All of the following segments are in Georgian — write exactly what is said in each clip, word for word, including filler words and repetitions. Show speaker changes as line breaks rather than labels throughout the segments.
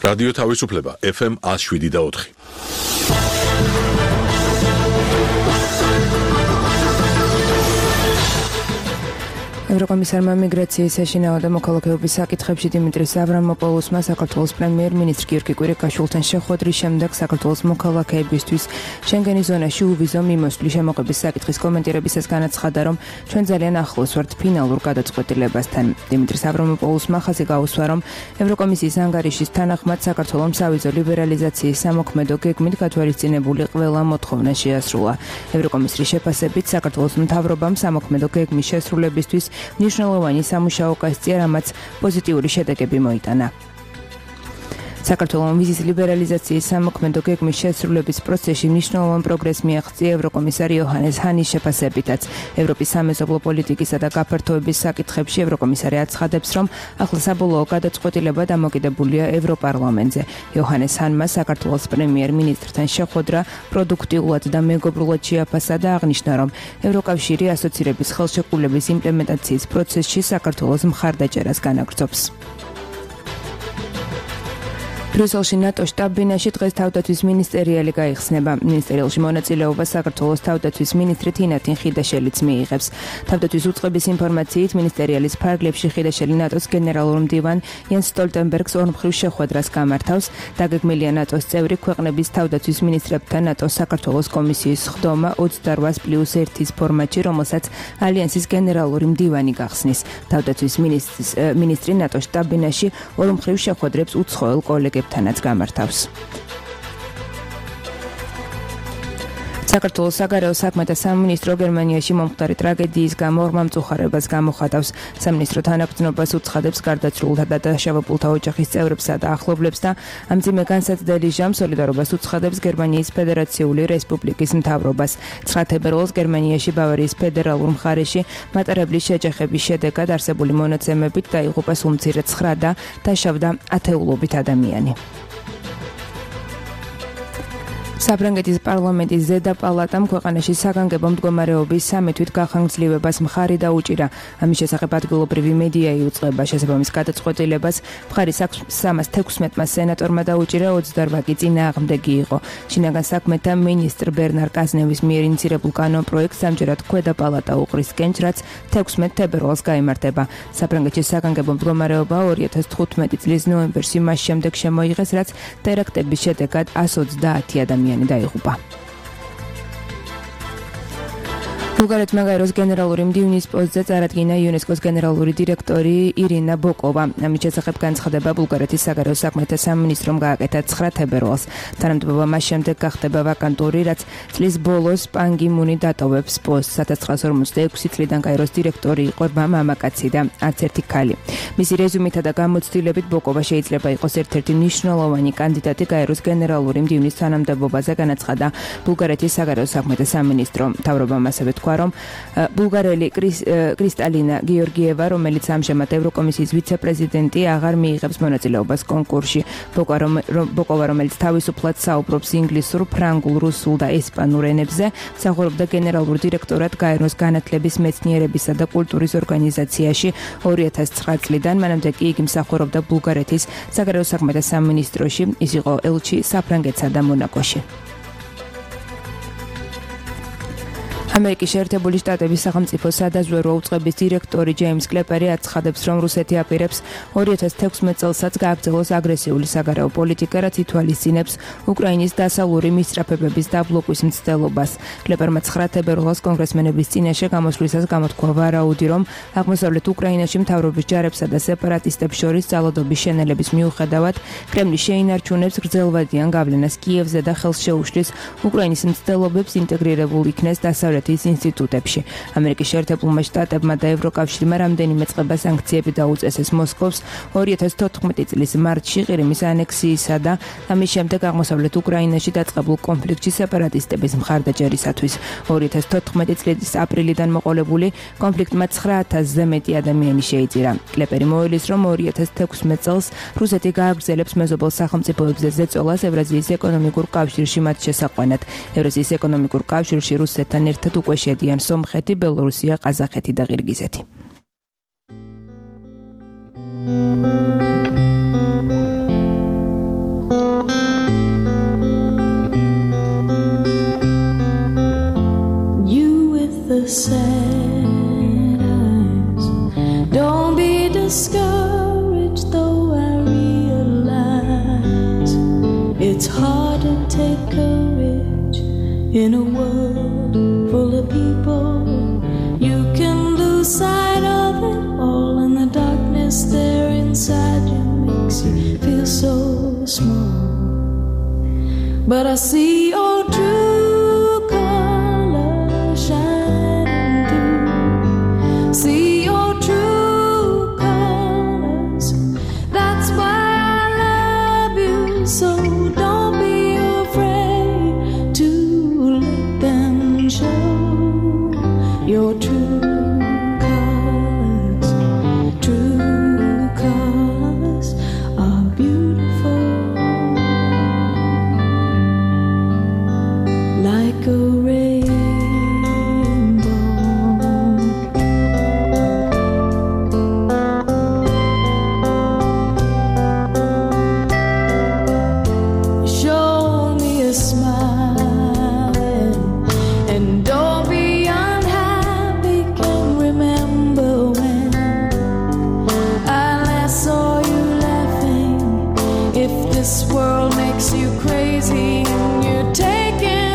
რადიო თავისუფლება ეფ ემ one oh seven და four.
ევროკომისარმა მიგრაციის საშინაო და მოქალაქეობის საკითხებში დიმიტრის ავრამოპოლუსმა საქართველოს პრემიერ-მინისტრი გიორგი კვირიკაშვილთან შეხვედრის შემდეგ საქართველოს მოქალაქეებისთვის შენგენის ზონაში უვიზო მიმოსვლის შემოღების საკითხის კომენტირებისას განაცხადა, რომ ჩვენ ძალიან ახლოს ვართ ფინალურ გადაწყვეტილებასთან. დიმიტრის ავრამოპოლუსმა ხაზი გაუსვა, რომ ევროკომისიის ანგარიშის თანახმად საქართველოს სავიზო ლიბერალიზაციის სამოქმედო გეგმით გათვალისწინებული ყველა მოთხოვნა შეასრულა. ევროკომისრის შეფასებით საქართველოს მთავრობამ სამოქმედო გეგმის შესრულებისთვის მნიშვნელოვანი სამუშაო გასწია, რამაც პოზიტიური შედეგები მოიტანა. საქართველოს ვიზის ლიბერალიზაციის სამოქმედო გეგმის შესრულების პროცესში მნიშვნელოვან პროგრესს მიაღწია ევროკომისარი იოჰანეს ჰანის შეფასებითაც. ევროპის სამეზობლო პოლიტიკისა და გაფართოების საკითხებში ევროკომისარი აცხადებს, რომ ახლა საბოლოო გადაწყვეტილება დამოკიდებულია ევროპარლამენტზე. იოჰანეს ჰანმა საქართველოს პრემიერ-მინისტრთან შეხვედრა პროდუქტიულად და მეგობრულად შეაფასა და აღნიშნა, რომ ევროკავშირი ასოცირების ხელშეკრულების იმპლემენტაციის პროცესში საქართველოს მხარდაჭერას განაგრძობს. ბრიუსელში ნატო შტაბ-ბინაში დღეს თავდაცვის მინისტერიალი გაიხსნება. მინისტერიალში მონაწილეობას საქართველოს თავდაცვის მინისტრი თინათინ ხიდაშელიც მიიღებს. თავდაცვის უწყების ინფორმაციით მინისტერიალის ფარგლებში ხიდაშელი ნატოს გენერალურ მდივან იანს სტოლტენბერგს ორმხრივ შეხვედრას გამართავს. დაგეგმილია ნატოს წევრი ქვეყნების თავდაცვის მინისტრებთან ნატოს საქართველოს კომისიის ხდომა ოცდაოთხ პლუს ერთის ფორმატში, რომელსაც ალიანსის გენერალური მდივანი გახსნის. თავდაცვის მინისტრი ნატოს შტაბ-ბინაში ორმხრივ შეხვედრებს უცხოელ კოლეგებს თანაც გამართავს. საქართველოს საგარეო საქმეთა სამინისტრო გერმანიაში მომხდარი ტრაგედიის გამო ორმა მწუხარებას გამოხატავს. სამინისტრო თანაგრძნობას უცხადებს გარდაცვლილთა და დაშავებულთა ოჯახის წევრებსა და ახლობლებს და ამ მძიმე განსაცდელი ჟამს სოლიდარობას უცხადებს გერმანიის ფედერაციული რესპუბლიკის მთავრობას. ცხრა თებერვალს გერმანიაში ბავარიის ფედერალურ მხარეში მატარებლის შეჯახების შედეგად არსებული მონაცემებით დაიღუპა სულ მცირე ცხრა და დაშავდა ათეულობით ადამიანი. საფრანგეთის პარლამენტის ზედა პალატამ ქვეყანაში საგანგებო მდგომარეობის სამი თვით გახანგრძლივებას მხარი დაუჭირა. ამის შესახებ ადგილობრივი მედია იუწყება. შესაბამის გადაწყვეტილებას მხარი სამას თექვსმეტმა სენატორმა დაუჭირა, ოცდაოთხ კი წინააღმდეგი იყო. შინაგან საქმეთა მინისტრ ბერნარ კაზნევის მიერ ინიცირებულ კანონპროექტს ამჯერად ქვედა პალატა უყრის კენჭ, რაც თექვსმეტ თებერვალს გაიმართება. საფრანგეთის საგანგებო მდგომარეობა ორი ათას თხუთმეტი წლის ნოემბერში მას შემდეგ შემოიღეს, რაც ტერაქტების შედეგად εκατს ოცდაათი ადამიანი დაიღუპა. ბულგარეთმა გაეროს გენერალური მდივნის პოსტზე წარადგინა იუნესკოს გენერალური დირექტორი ირინა ბოკოვა. ამის შესახებ განცხადება ბულგარეთის საგარეო საქმეთა სამინისტრომ გააკეთა ცხრა თებერვალს. თანამდებობა მას შემდეგ გახდება ვაკანტური, რაც წლის ბოლოს პან გი მუნი დატოვებს პოსტს. ათას ცხრაას ორმოცდაექვსი წლიდან გაეროს დირექტორი იყო მამაკაცი და არც ერთი ქალი. მისი რეზუმეთა და გამოცდილებით ბოკოვა შეიძლება იყოს ერთ-ერთი მნიშვნელოვანი კანდიდატი გაეროს გენერალური მდივნის თანამდებობაზე, განაცხადა ბულგარეთის საგარეო საქმეთა სამინისტრო. მთავრობამ ასევე თქვა, რომ ბულგარელი კრისტალინა გიორგიევა, რომელიც ამჟამად ევროკომისიის ვიცე-პრეზიდენტი, აღარ მიიღებს მონაწილეობას კონკურსში. ბოკოვა, რომელიც თავისუფლად საუბრობს ინგლისურ, ფრანგულ, რუსულ და ესპანურ ენებზე, მსახურობდა გენერალურ დირექტორად გაეროს განათლების, მეცნიერებისა და კულტურის ორგანიზაციაში ორი ათას ცხრა წლიდან, მანამდე კი იგი მსახურობდა ბულგარეთის საგარეო საქმეთა სამინისტროში. ის იყო ელჩი საფრანგეთსა და მონაკოში. ამერიკის შეერთებული შტატების სახელმწიფო სადაზვერვო უწყების დირექტორი ჯეიმს კლეპერი აცხადებს, რომ რუსეთი აპირებს ორი ათას თექვსმეტ წელსაც გააგრძელოს აგრესიული საგარეო პოლიტიკა, რაც ითვალისწინებს უკრაინის დასავლური მისწრაფებების დაბლოკვის მცდელობას. კლეპერმა ცხრა თებერვალს კონგრესმენების წინაშე გამოსვლისას გამოთქვა ვარაუდი, რომ აღმოსავლეთ უკრაინაში მთავრობის ჯარებსა და სეპარატისტებს შორის ძალადობის შენელების მიუხედავად კრემლი შეინარჩუნებს გრძელვადიან გავლენას კიევზე და ხელს შეუშლის უკრაინის მცდელობებს ინტეგრირებულ იქნეს დასავლეთ ინსტიტუტებში. ამერიკის შეერთებულმა შტატებმა და ევროკავშირმა რამდენიმე წყება სანქციები დაუწესეს მოსკოვს ორი ათას თოთხმეტი წლის მარტში ყირიმის ანექსიისა და ამის შემდეგ აღმოსავლეთ უკრაინაში დაწყებულ კონფლიქტში სეპარატისტების მხარდაჭერისათვის. ორი ათას თოთხმეტი წლის აპრილიდან მოყოლებული კონფლიქტმა ცხრა ათასზე მეტი ადამიანი შეიწირა. კლეპერი მოელის, რომ ორი ათას თექვსმეტ წელს რუსეთი გააგრძელებს მეზობელ სახელმწიფოებზე ზეწოლას ევრაზიის ეკონომიკურ კავშირში მათ შესაყვანად. ევრაზიის ეკონომიკურ კავშირში რუსეთთან ერთად უკვე შედიან სომხეთი, ბელორუსია, ყაზახეთი და ყირგიზეთი.
the sad eyes. Don't be discouraged, though I realize it's hard to take courage in a world full of people. You can lose sight of it all, and the darkness there inside you makes you feel so small. But I see your true colors shining through. See your true colors. That's why I love you. So don't be afraid to let them show your true colors. True colors are beautiful. Like a rainbow. Show me a smile, and don't be unhappy. Can remember when I last saw you laughing. If this world makes you crazy and you're taking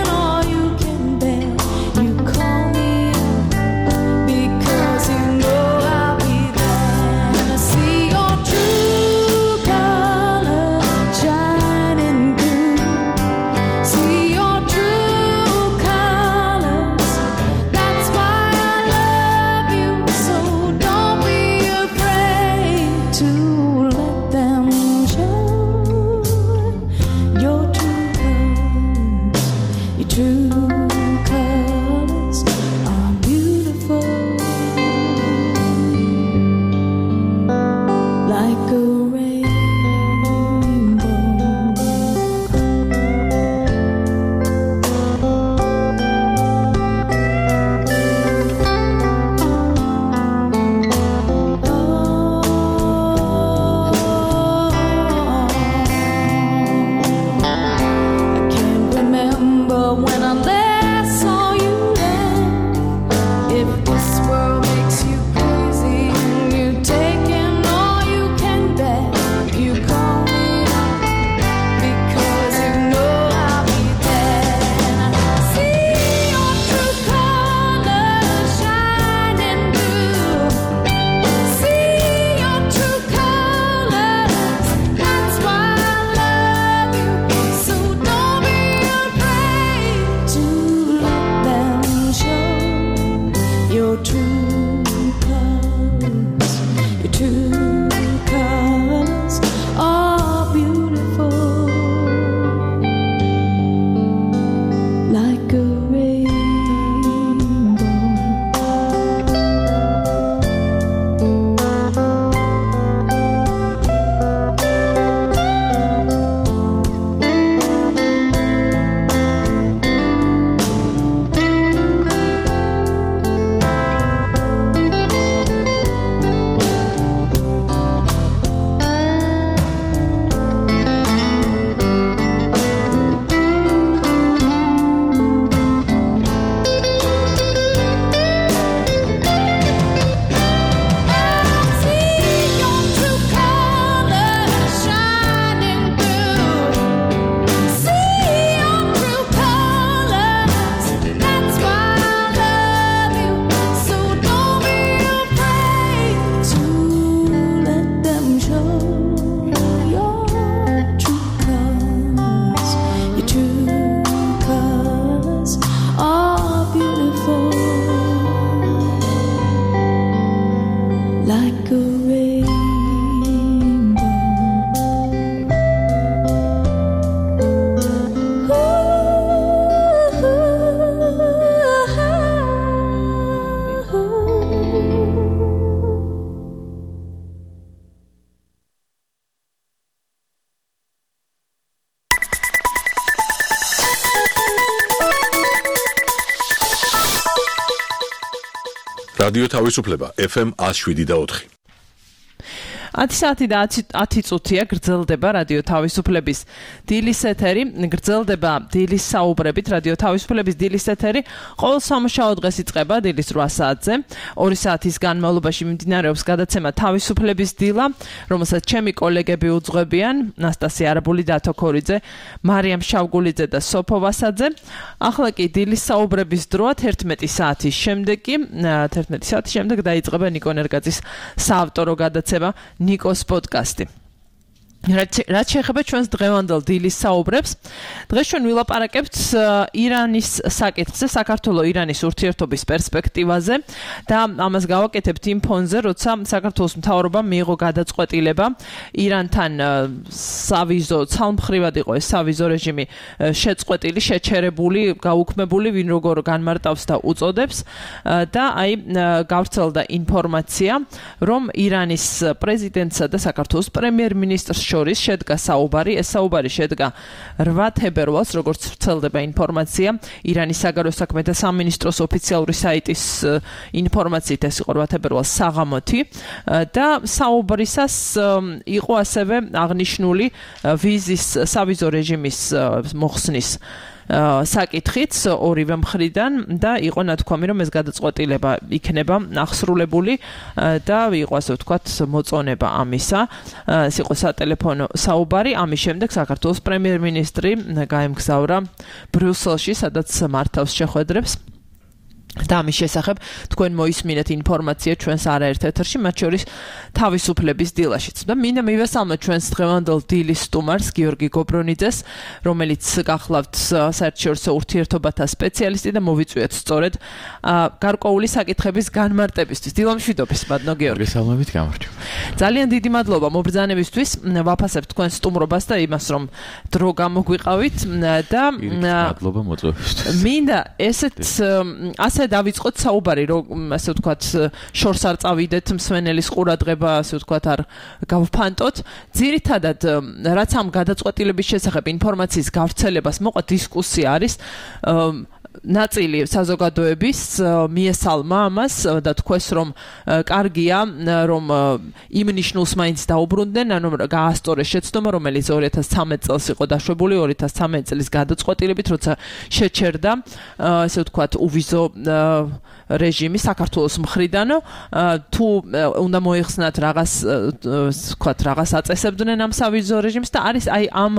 რადიო თავისუფლება ეფ ემ one oh seven და four.
ათი საათი და ათი წუთია გრძელდება რადიო თავისუფლების დილის ეთერი, გრძელდება დილის საუბრებით რადიო თავისუფლების დილის ეთერი. ყოველ სამუშაო დღეს იწყება დილის რვა საათზე. ორი საათის განმავლობაში მიმდინარეობს გადაცემა თავისუფლების დილა, რომელსაც ჩემი კოლეგები უძღვებიან, ნასტასია არაბული, დათო ქორიძე, მარიამ შავგულიძე და სოფო ვასაძე. ახლა კი დილის საუბრების დროა თერთმეტი საათის შემდეგ კი თერთმეტი საათის შემდეგ დაიწყება ნიკო ნერგაძის საავტორო გადაცემა ნიკოს პოდკასტი. რაც შეეხება ჩვენს დღევანდელ დილის საუბრებს, დღეს ჩვენ ვილაპარაკებთ ირანის საკითხზე, საქართველო-ირანის ურთიერთობის პერსპექტივაზე და ამას გავაკეთებთ იმ ფონზე, როცა საქართველოს მთავრობამ მიიღო გადაწყვეტილება ირანთან სავიზო, ცალმხრივად იყო ეს სავიზო რეჟიმი შეწყვეტილი, შეჩერებული, გაუქმებული, ვინ როგორ განმარტავს და უწოდებს და აი გავრცელდა ინფორმაცია, რომ ირანის პრეზიდენტსა და საქართველოს პრემიერ-მინისტრს შორის შედგა საუბარი, ეს საუბარი შედგა რვა თებერვალს, როგორც ვრცელდება ინფორმაცია, ირანის საგარეო საქმეთა სამინისტროს ოფიციალური საიტის ინფორმაციით ეს იყო რვა თებერვალს საღამოთი და საუბრისას იყო ასევე აღნიშნული ვიზის სავიზო რეჟიმის მოხსნის საკითხიც ორივე მხრიდან და იყო ნათქვამი, რომ ეს გადაწყვეტილება იქნება აღსრულებული და იყო ასე ვთქვათ მოწონება ამისა. ეს იყო სატელეფონო საუბარი. ამის შემდეგ საქართველოს პრემიერ-მინისტრი გაემგზავრა ბრიუსელში, სადაც მართავს შეხვედრებს. და ამის შესახებ თქვენ მოისმინეთ ინფორმაცია ჩვენს არაერთ ეთერში, მათ შორის თავისუფლების დილაშიც. და მინდა მივესალმოთ ჩვენს დღევანდელ დილის სტუმარს გიორგი გობრონიძეს, რომელიც გახლავთ საერთაშორისო ურთიერთობათა სპეციალისტი და მოვიწვიეთ სწორედ გარკვეული საკითხების განმარტებისთვის. დილამშვიდობის, ბატონო გიორგი.
მოგესალმებით, გამარჯობა.
ძალიან დიდი მადლობა მობრძანებისთვის. ვაფასებთ თქვენ სტუმრობას და იმას, რომ დრო გამოგვიყავით და
მადლობა მოწვევისთვის.
მინდა ესეთ ასე დავიწყოთ საუბარი, რომ ასე ვთქვათ, შორს არ წავიდეთ, მსვენელის ყურადღება, ასე ვთქვათ, არ გავფანტოთ. ძირითადად, რაც ამ გადაწყვეტილების შესახებ ინფორმაციის გავრცელებას მოყვა, დისკუსია არის ნაწილი საზოგადოების მიესალმა ამას და თქვეს, რომ კარგია, რომ იმ ნიშნულს მაინც დაუბრუნდნენ, ანუ გაასწორეს შეცდომა, რომელიც ორი ათას ცხრამეტ წელს იყო დაშვებული, ორი ათას ცხრამეტ წლის გადაწყვეტილებით, როცა შეჩერდა, ასე ვთქვათ, უვიზო რეჟიმი საქართველოს მხრიდან, თუ უნდა მოიხსნათ რაღაც, ვთქვათ, რაღაც აწესებდნენ ამ სავიზო რეჟიმს და არის აი ამ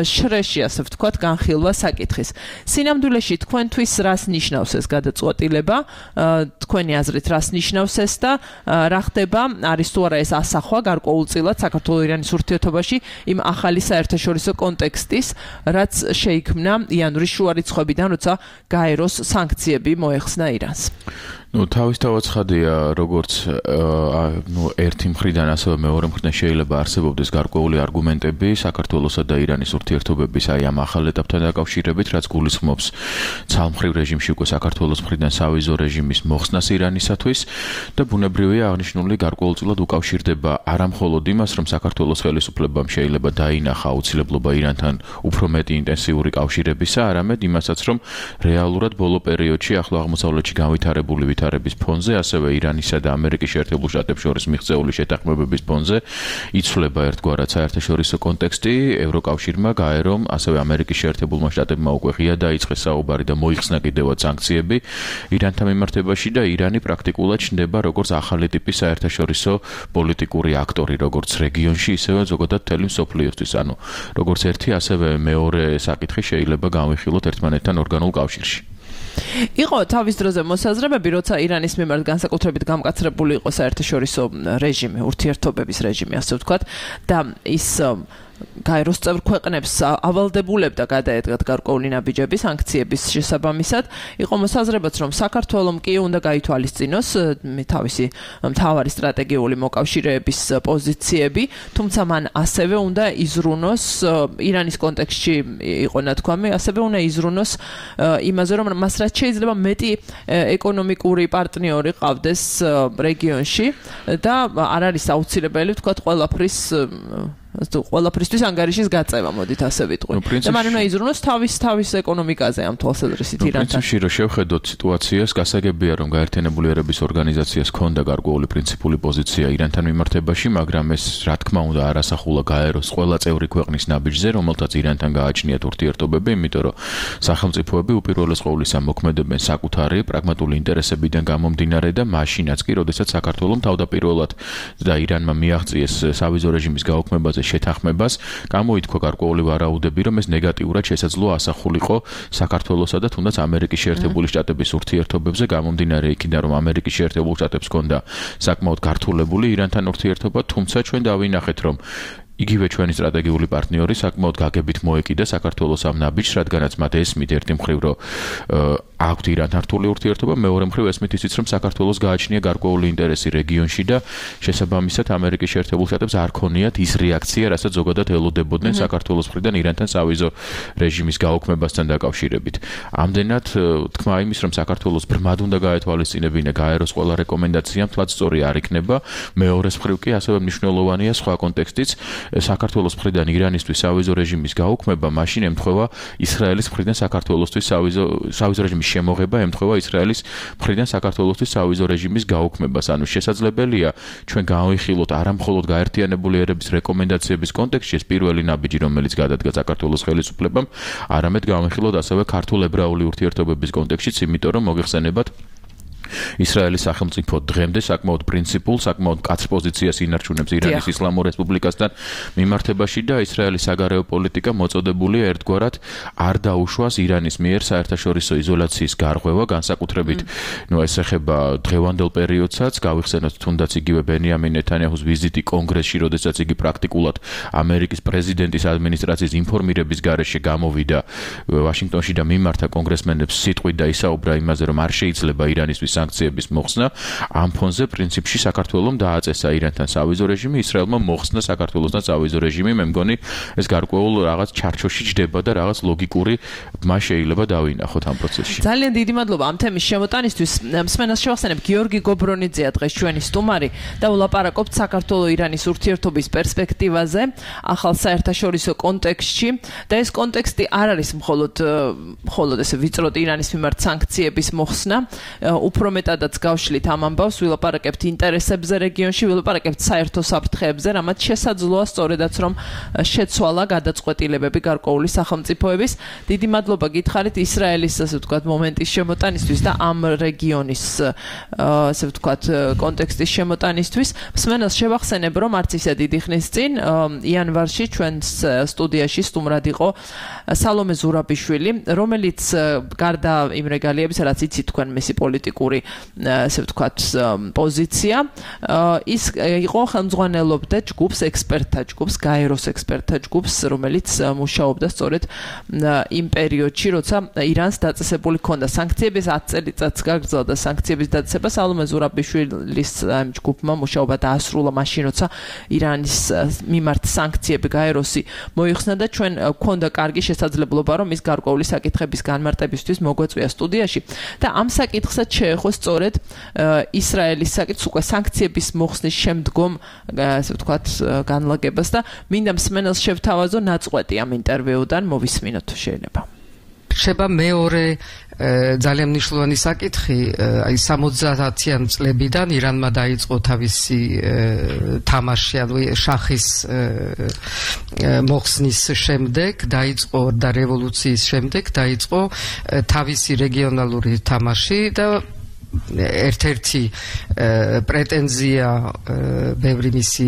შრეში, ასე ვთქვათ, განხილვა საკითხის. სინამდვილეში თქვენ თვის რას ნიშნავს ეს გადაწყვეტილება, თქვენი აზრით რას ნიშნავს ეს და რა ხდება, არის თუ არა ეს ასახვა გარკვეულწილად საქართველო-ირანის ურთიერთობაში იმ ახალი საერთაშორისო კონტექსტის, რაც შეიქმნა იანვრის შუა რიცხვებიდან, როცა გაეროს სანქციები მოეხსნა ირანს.
ну თავისთავად ცხადია, როგორც ну ერთი მხრიდან ასევე მეორე მხრიდან შეიძლება არსებობდეს გარკვეული არგუმენტები საქართველოსა და ირანის ურთიერთობების აი ამ ახალ ეტაპთან დაკავშირებით, რაც გულისხმობს ცალმხრივ რეჟიმში უკვე საქართველოს მხრიდან სავიზო რეჟიმის მოხსნას ირანისათვის და ბუნებრივია აღნიშნული გარკვეულწილად უკავშირდება არა მხოლოდ იმას, რომ საქართველოს ხელისუფლებამ შეიძლება დაინახა აუცილებლობა ირანთან უფრო მეტი ინტენსიური კავშირებისა, არამედ იმასაც, რომ რეალურად ბოლო პერიოდში ახლო აღმოსავლეთში განვითარებული ვითარების ფონზე, ასევე ირანისა და ამერიკის შეერთებულ შტატებს შორის მიღწეული შეთანხმებების ფონზე იცვლება ერთგვარად საერთაშორისო კონტექსტი, ევროკავშირმა, გაერომ, ასევე ამერიკის შეერთებულმა შტატებმა უკვე ღია დაიწყეს საუბარი და მოიხსნა კიდევაც სანქციები ირანთან მიმართებაში და ირანი პრაქტიკულად ჩნდება როგორც ახალი ტიპის საერთაშორისო პოლიტიკური აქტორი, როგორც რეგიონში, ისევე ზოგადად მთელი მსოფლიოსთვის, ანუ როგორც ერთი, ასევე მეორე საკითხი შეიძლება განვიხილოთ ერთმანეთთან ორგანულ კავშირში.
იყო თავის დროზე მოსაზრებები, როცა ირანის მიმართ განსაკუთრებით გამკაცრებული იყო საერთაშორისო რეჟიმი, ურთიერთობების რეჟიმი, ასე ვთქვათ, და ის გაეროს წევრ ქვეყნებს ავალდებულებდა გადაედგათ გარკვეული ნაბიჯები სანქციების შესაბამისად. იყო მოსაზრებაც, რომ საქართველომ კი უნდა გაითვალისწინოს თავისი მთავარი სტრატეგიული მოკავშირეების პოზიციები, თუმცა მან ასევე უნდა იზრუნოს ირანის კონტექსტში იყო ნათქვამი, ასევე უნდა იზრუნოს იმაზე, რომ მას რაც შეიძლება მეტი ეკონომიკური პარტნიორი ყავდეს რეგიონში და არ არის აუცილებელი, ვთქვათ, ყველაფრის ყველაფრისთვის ანგარიშის გაწევა, მოდით ასე ვიტყვი. და მან უნდა იზრუნოს თავის თავის ეკონომიკაზე ამ თვალსაზრისით ირანთან.
პრინციპში რომ შევხედოთ სიტუაციას, გასაგებია რომ გაერთიანებული ერების ორგანიზაციას ჰქონდა გარკვეული პრინციპული პოზიცია ირანთან მიმართებაში, მაგრამ ეს რა თქმა უნდა არასახულა გაეროს ყველა წევრი ქვეყნის ნაბიჯზე, რომელთაც ირანთან გააჩნიათ ურთიერთობები, იმიტომ რომ სახელმწიფოები უპირველეს ყოვლისა მოქმედებენ საკუთარი პრაგმატული ინტერესებიდან გამომდინარე და მაშინაც კი, როდესაც საქართველოს თავდაპირველად და ირანმა მიაღწიეს სავიზო რეჟიმის გაუქმებაზე შეთანხმებას, გამოითქვა გარკვეული ვარაუდები, რომ ეს ნეგატიურად შესაძლოა ასახულიყო საქართველოსა და თუნდაც ამერიკის შეერთებული შტატების ურთიერთობებზე, გამომდინარე იქიდან, რომ ამერიკის შეერთებულ შტატებს ჰქონდა საკმაოდ გართულებული ირანთან ურთიერთობა, თუმცა ჩვენ დავინახეთ, რომ იგივე ჩვენი სტრატეგიული პარტნიორი საკმაოდ გაგებით მოეკიდა საქართველოს ამ ნაბიჯს, რადგანაც მათ ესმით ერთი მხრივ, რომ აქვთ ირანთან რთული ურთიერთობა, მეორე მხრივ ესმით ისიც, რომ საქართველოს გააჩნია გარკვეული ინტერესი რეგიონში და შესაბამისად ამერიკის შეერთებულ შტატებს არ ქონიათ ის რეაქცია, რასაც ზოგადად ელოდებოდნენ საქართველოს მხრიდან ირანთან სავიზო რეჟიმის გაუქმებასთან დაკავშირებით. ამდენად თქმა იმის, რომ საქართველოს ბრმად უნდა გაეთვალისწინებინა გაეროს ყველა რეკომენდაცია, თლაც სწორი არ იქნება. მეორეს მხრივ კი ასევე მნიშვნელოვანია სხვა კონტექსტიც, საქართველოს მხრიდან ირანისთვის სავიზო რეჟიმის გაუქმება, მაშინ ემთხვევა ისრაელის მხრიდან საქართველოსთვის სავიზო სავიზო რეჟიმის შემოღება, ემთხვევა ისრაელის მხრიდან საქართველოსთვის სავიზო რეჟიმის გაუქმებას. ანუ შესაძლებელია ჩვენ გავიხილოთ არა მხოლოდ გაერთიანებული ერების რეკომენდაციების კონტექსტში ეს პირველი ნაბიჯი, რომელიც გადადგა საქართველოს ხელისუფლებამ, არამედ გავიხილოთ ასევე ქართულ ებრაული ურთიერთობების კონტექსტშიც, იმიტომ რომ მოგეხსენებათ ისრაელის სახელმწიფო დღემდე საკმაოდ პრინციპულ, საკმაოდ მკაცრ პოზიციას ინარჩუნებს ირანის ისლამურ რესპუბლიკასთან მიმართებაში და ისრაელის საგარეო პოლიტიკა მოწოდებულია ერთგვარად არ დაუშვას ირანის მიერ საერთაშორისო იზოლაციის გარღვევა, განსაკუთრებით ნუ ეს ეხება დღევანდელ პერიოდსაც, გავიხსენოთ თუნდაც იგივე ბენიამინ ნეთანიაჰუს ვიზიტი კონგრესში, როდესაც იგი პრაქტიკულად ამერიკის პრეზიდენტის ადმინისტრაციის ინფორმირების გარეშე გამოვიდა ვაშინგტონში და მიმართა კონგრესმენებს სიტყვით და ისაუბრა იმაზე, რომ არ შეიძლება ირანისთვის სანქციების მოხსნა, ამ ფონზე პრინციპში საქართველოს დააწესა ირანთან სავიზო რეჟიმი, ისრაელმა მოხსნა საქართველოსთან სავიზო რეჟიმი, მე მგონი ეს გარკვეულ რაღაც ჩარჩოში ჯდება და რაღაც ლოგიკური ბმა შეიძლება დავინახოთ ამ პროცესში.
ძალიან დიდი მადლობა ამ თემის შემოტანისთვის. მსმენელს შევახსენებ, გიორგი გობრონიძეა დღეს ჩვენი სტუმარი და ვლაპარაკობთ საქართველო-ირანის ურთიერთობის პერსპექტივაზე ახალ საერთაშორისო კონტექსტში და ეს კონტექსტი არ არის მხოლოდ მხოლოდ ესე ვიწროდ ირანის მიმართ სანქციების მოხსნა, უფრო მეტადაც გავშლით ამ ამბავს, ვილაპარაკებთ ინტერესებზე რეგიონში, ვილაპარაკებთ საერთო საფრთხეებზე, რამაც შესაძლოა სწორედაც რომ შეცვალა გადაწყვეტილებები გარკვეული სახელმწიფოების. დიდი მადლობა გითხარით ისრაელის, ასე ვთქვათ, მომენტის შემოტანისთვის და ამ რეგიონის, ასე ვთქვათ, კონტექსტის შემოტანისთვის. მსმენელს შევახსენებ, რომ არც ისე დიდი ხნის წინ იანვარში ჩვენს სტუდიაში სტუმრად იყო სალომე ზურაბიშვილი, რომელიც გარდა იმ რეგალიებისა, რაც იცით თქვენ მისი პოლიტიკური, ასე ვთქვათ, პოზიცია, ის იყო ხელმძღვანელობდა ჯგუფს, ექსპერტთა ჯგუფს, გაეროს ექსპერტთა ჯგუფს, რომელიც მუშაობდა სწორედ იმ პერიოდში, როცა ირანს დაწესებული ჰქონდა სანქციების ათი წელიწადს გაგრძელდა სანქციების დაწესება. სალომე ზურაბიშვილის ჯგუფმა მუშაობა დაასრულა მაშინ, როცა ირანის მიმართ სანქციები გაეროსი მოიხსნა და ჩვენ გვქონდა კარგი შესაძლებლობა, რომ ის გარკვეული საკითხების განმარტებისთვის მოგვეწვია სტუდიაში და ამ საკითხსაც შეეხო სწორედ ისრაელის საკითხს, უკვე სანქციების მოხსნის შემდგომ, ასე ვთქვათ, განლაგებას და მინდა მსმენელს შევთავაზო ნაწყვეტი ამ ინტერვიუდან, მოვისმინოთ შეიძლება.
რჩება მეორე ძალიან მნიშვნელოვანი საკითხი, აი სამოცდაათიან წლებიდან ირანმა დაიწყო თავისი თამაში, ანუ შახის მოხსნის შემდეგ, დაიწყო და რევოლუციის შემდეგ დაიწყო თავისი რეგიონალური თამაში და ერთ-ერთი პრეტენზია ბევრი მისი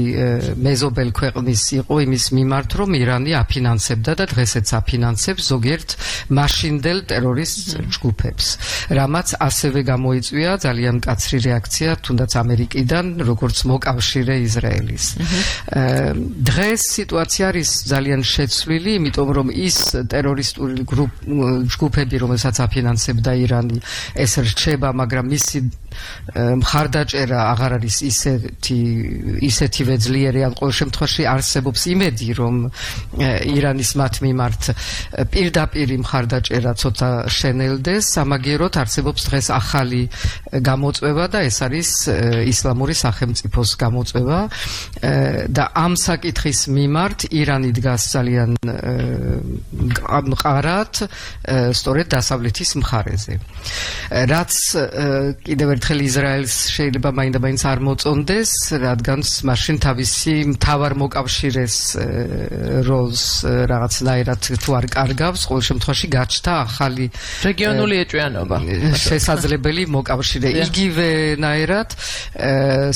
მეზობელ ქვეყნის იყო იმის მიმართ, რომ ირანი აფინანსებდა და დღესაც აფინანსებს ზოგიერთ მაშინდელ ტერორისტ ჯგუფებს, რამაც ასევე გამოიწვია ძალიან მკაცრი რეაქცია თუნდაც ამერიკიდან, როგორც მოკავშირე ისრაელის. დღეს სიტუაცია არის ძალიან შეცვლილი, იმიტომ რომ ის ტერორისტული ჯგუფები, რომელსაც აფინანსებდა ირანი, ეს რჩება, მაგრამ მისი მხარდაჭერა აღარ არის ისეთი ისეთივე ძლიერი, ან ყოველ შემთხვევაში არსებობს იმედი, რომ ირანის მათ მიმართ პირდაპირ მხარდაჭერა ცოტა შენელდეს, სამაგიეროდ არსებობს დღეს ახალი გამოწვევა და ეს არის ისლამური სახელმწიფოს გამოწვევა და ამ საკითხის მიმართ ირანი დგას ძალიან მყარად სწორედ დასავლეთის მხარეზე. რაც კიდევ ერთხელ ისრაელს შეიძლება მაინდა-მაინც არ მოწონდეს, რადგან მაშინ თავისი მთავარ მოკავშირეს როლს რაღაცნაირად თუ არ კარგავს, ყოველ შემთხვევაში გაჩნდა ახალი
რეგიონული ეჭვიანობა,
შესაძლებელი მოკავშირე. იგივენაირად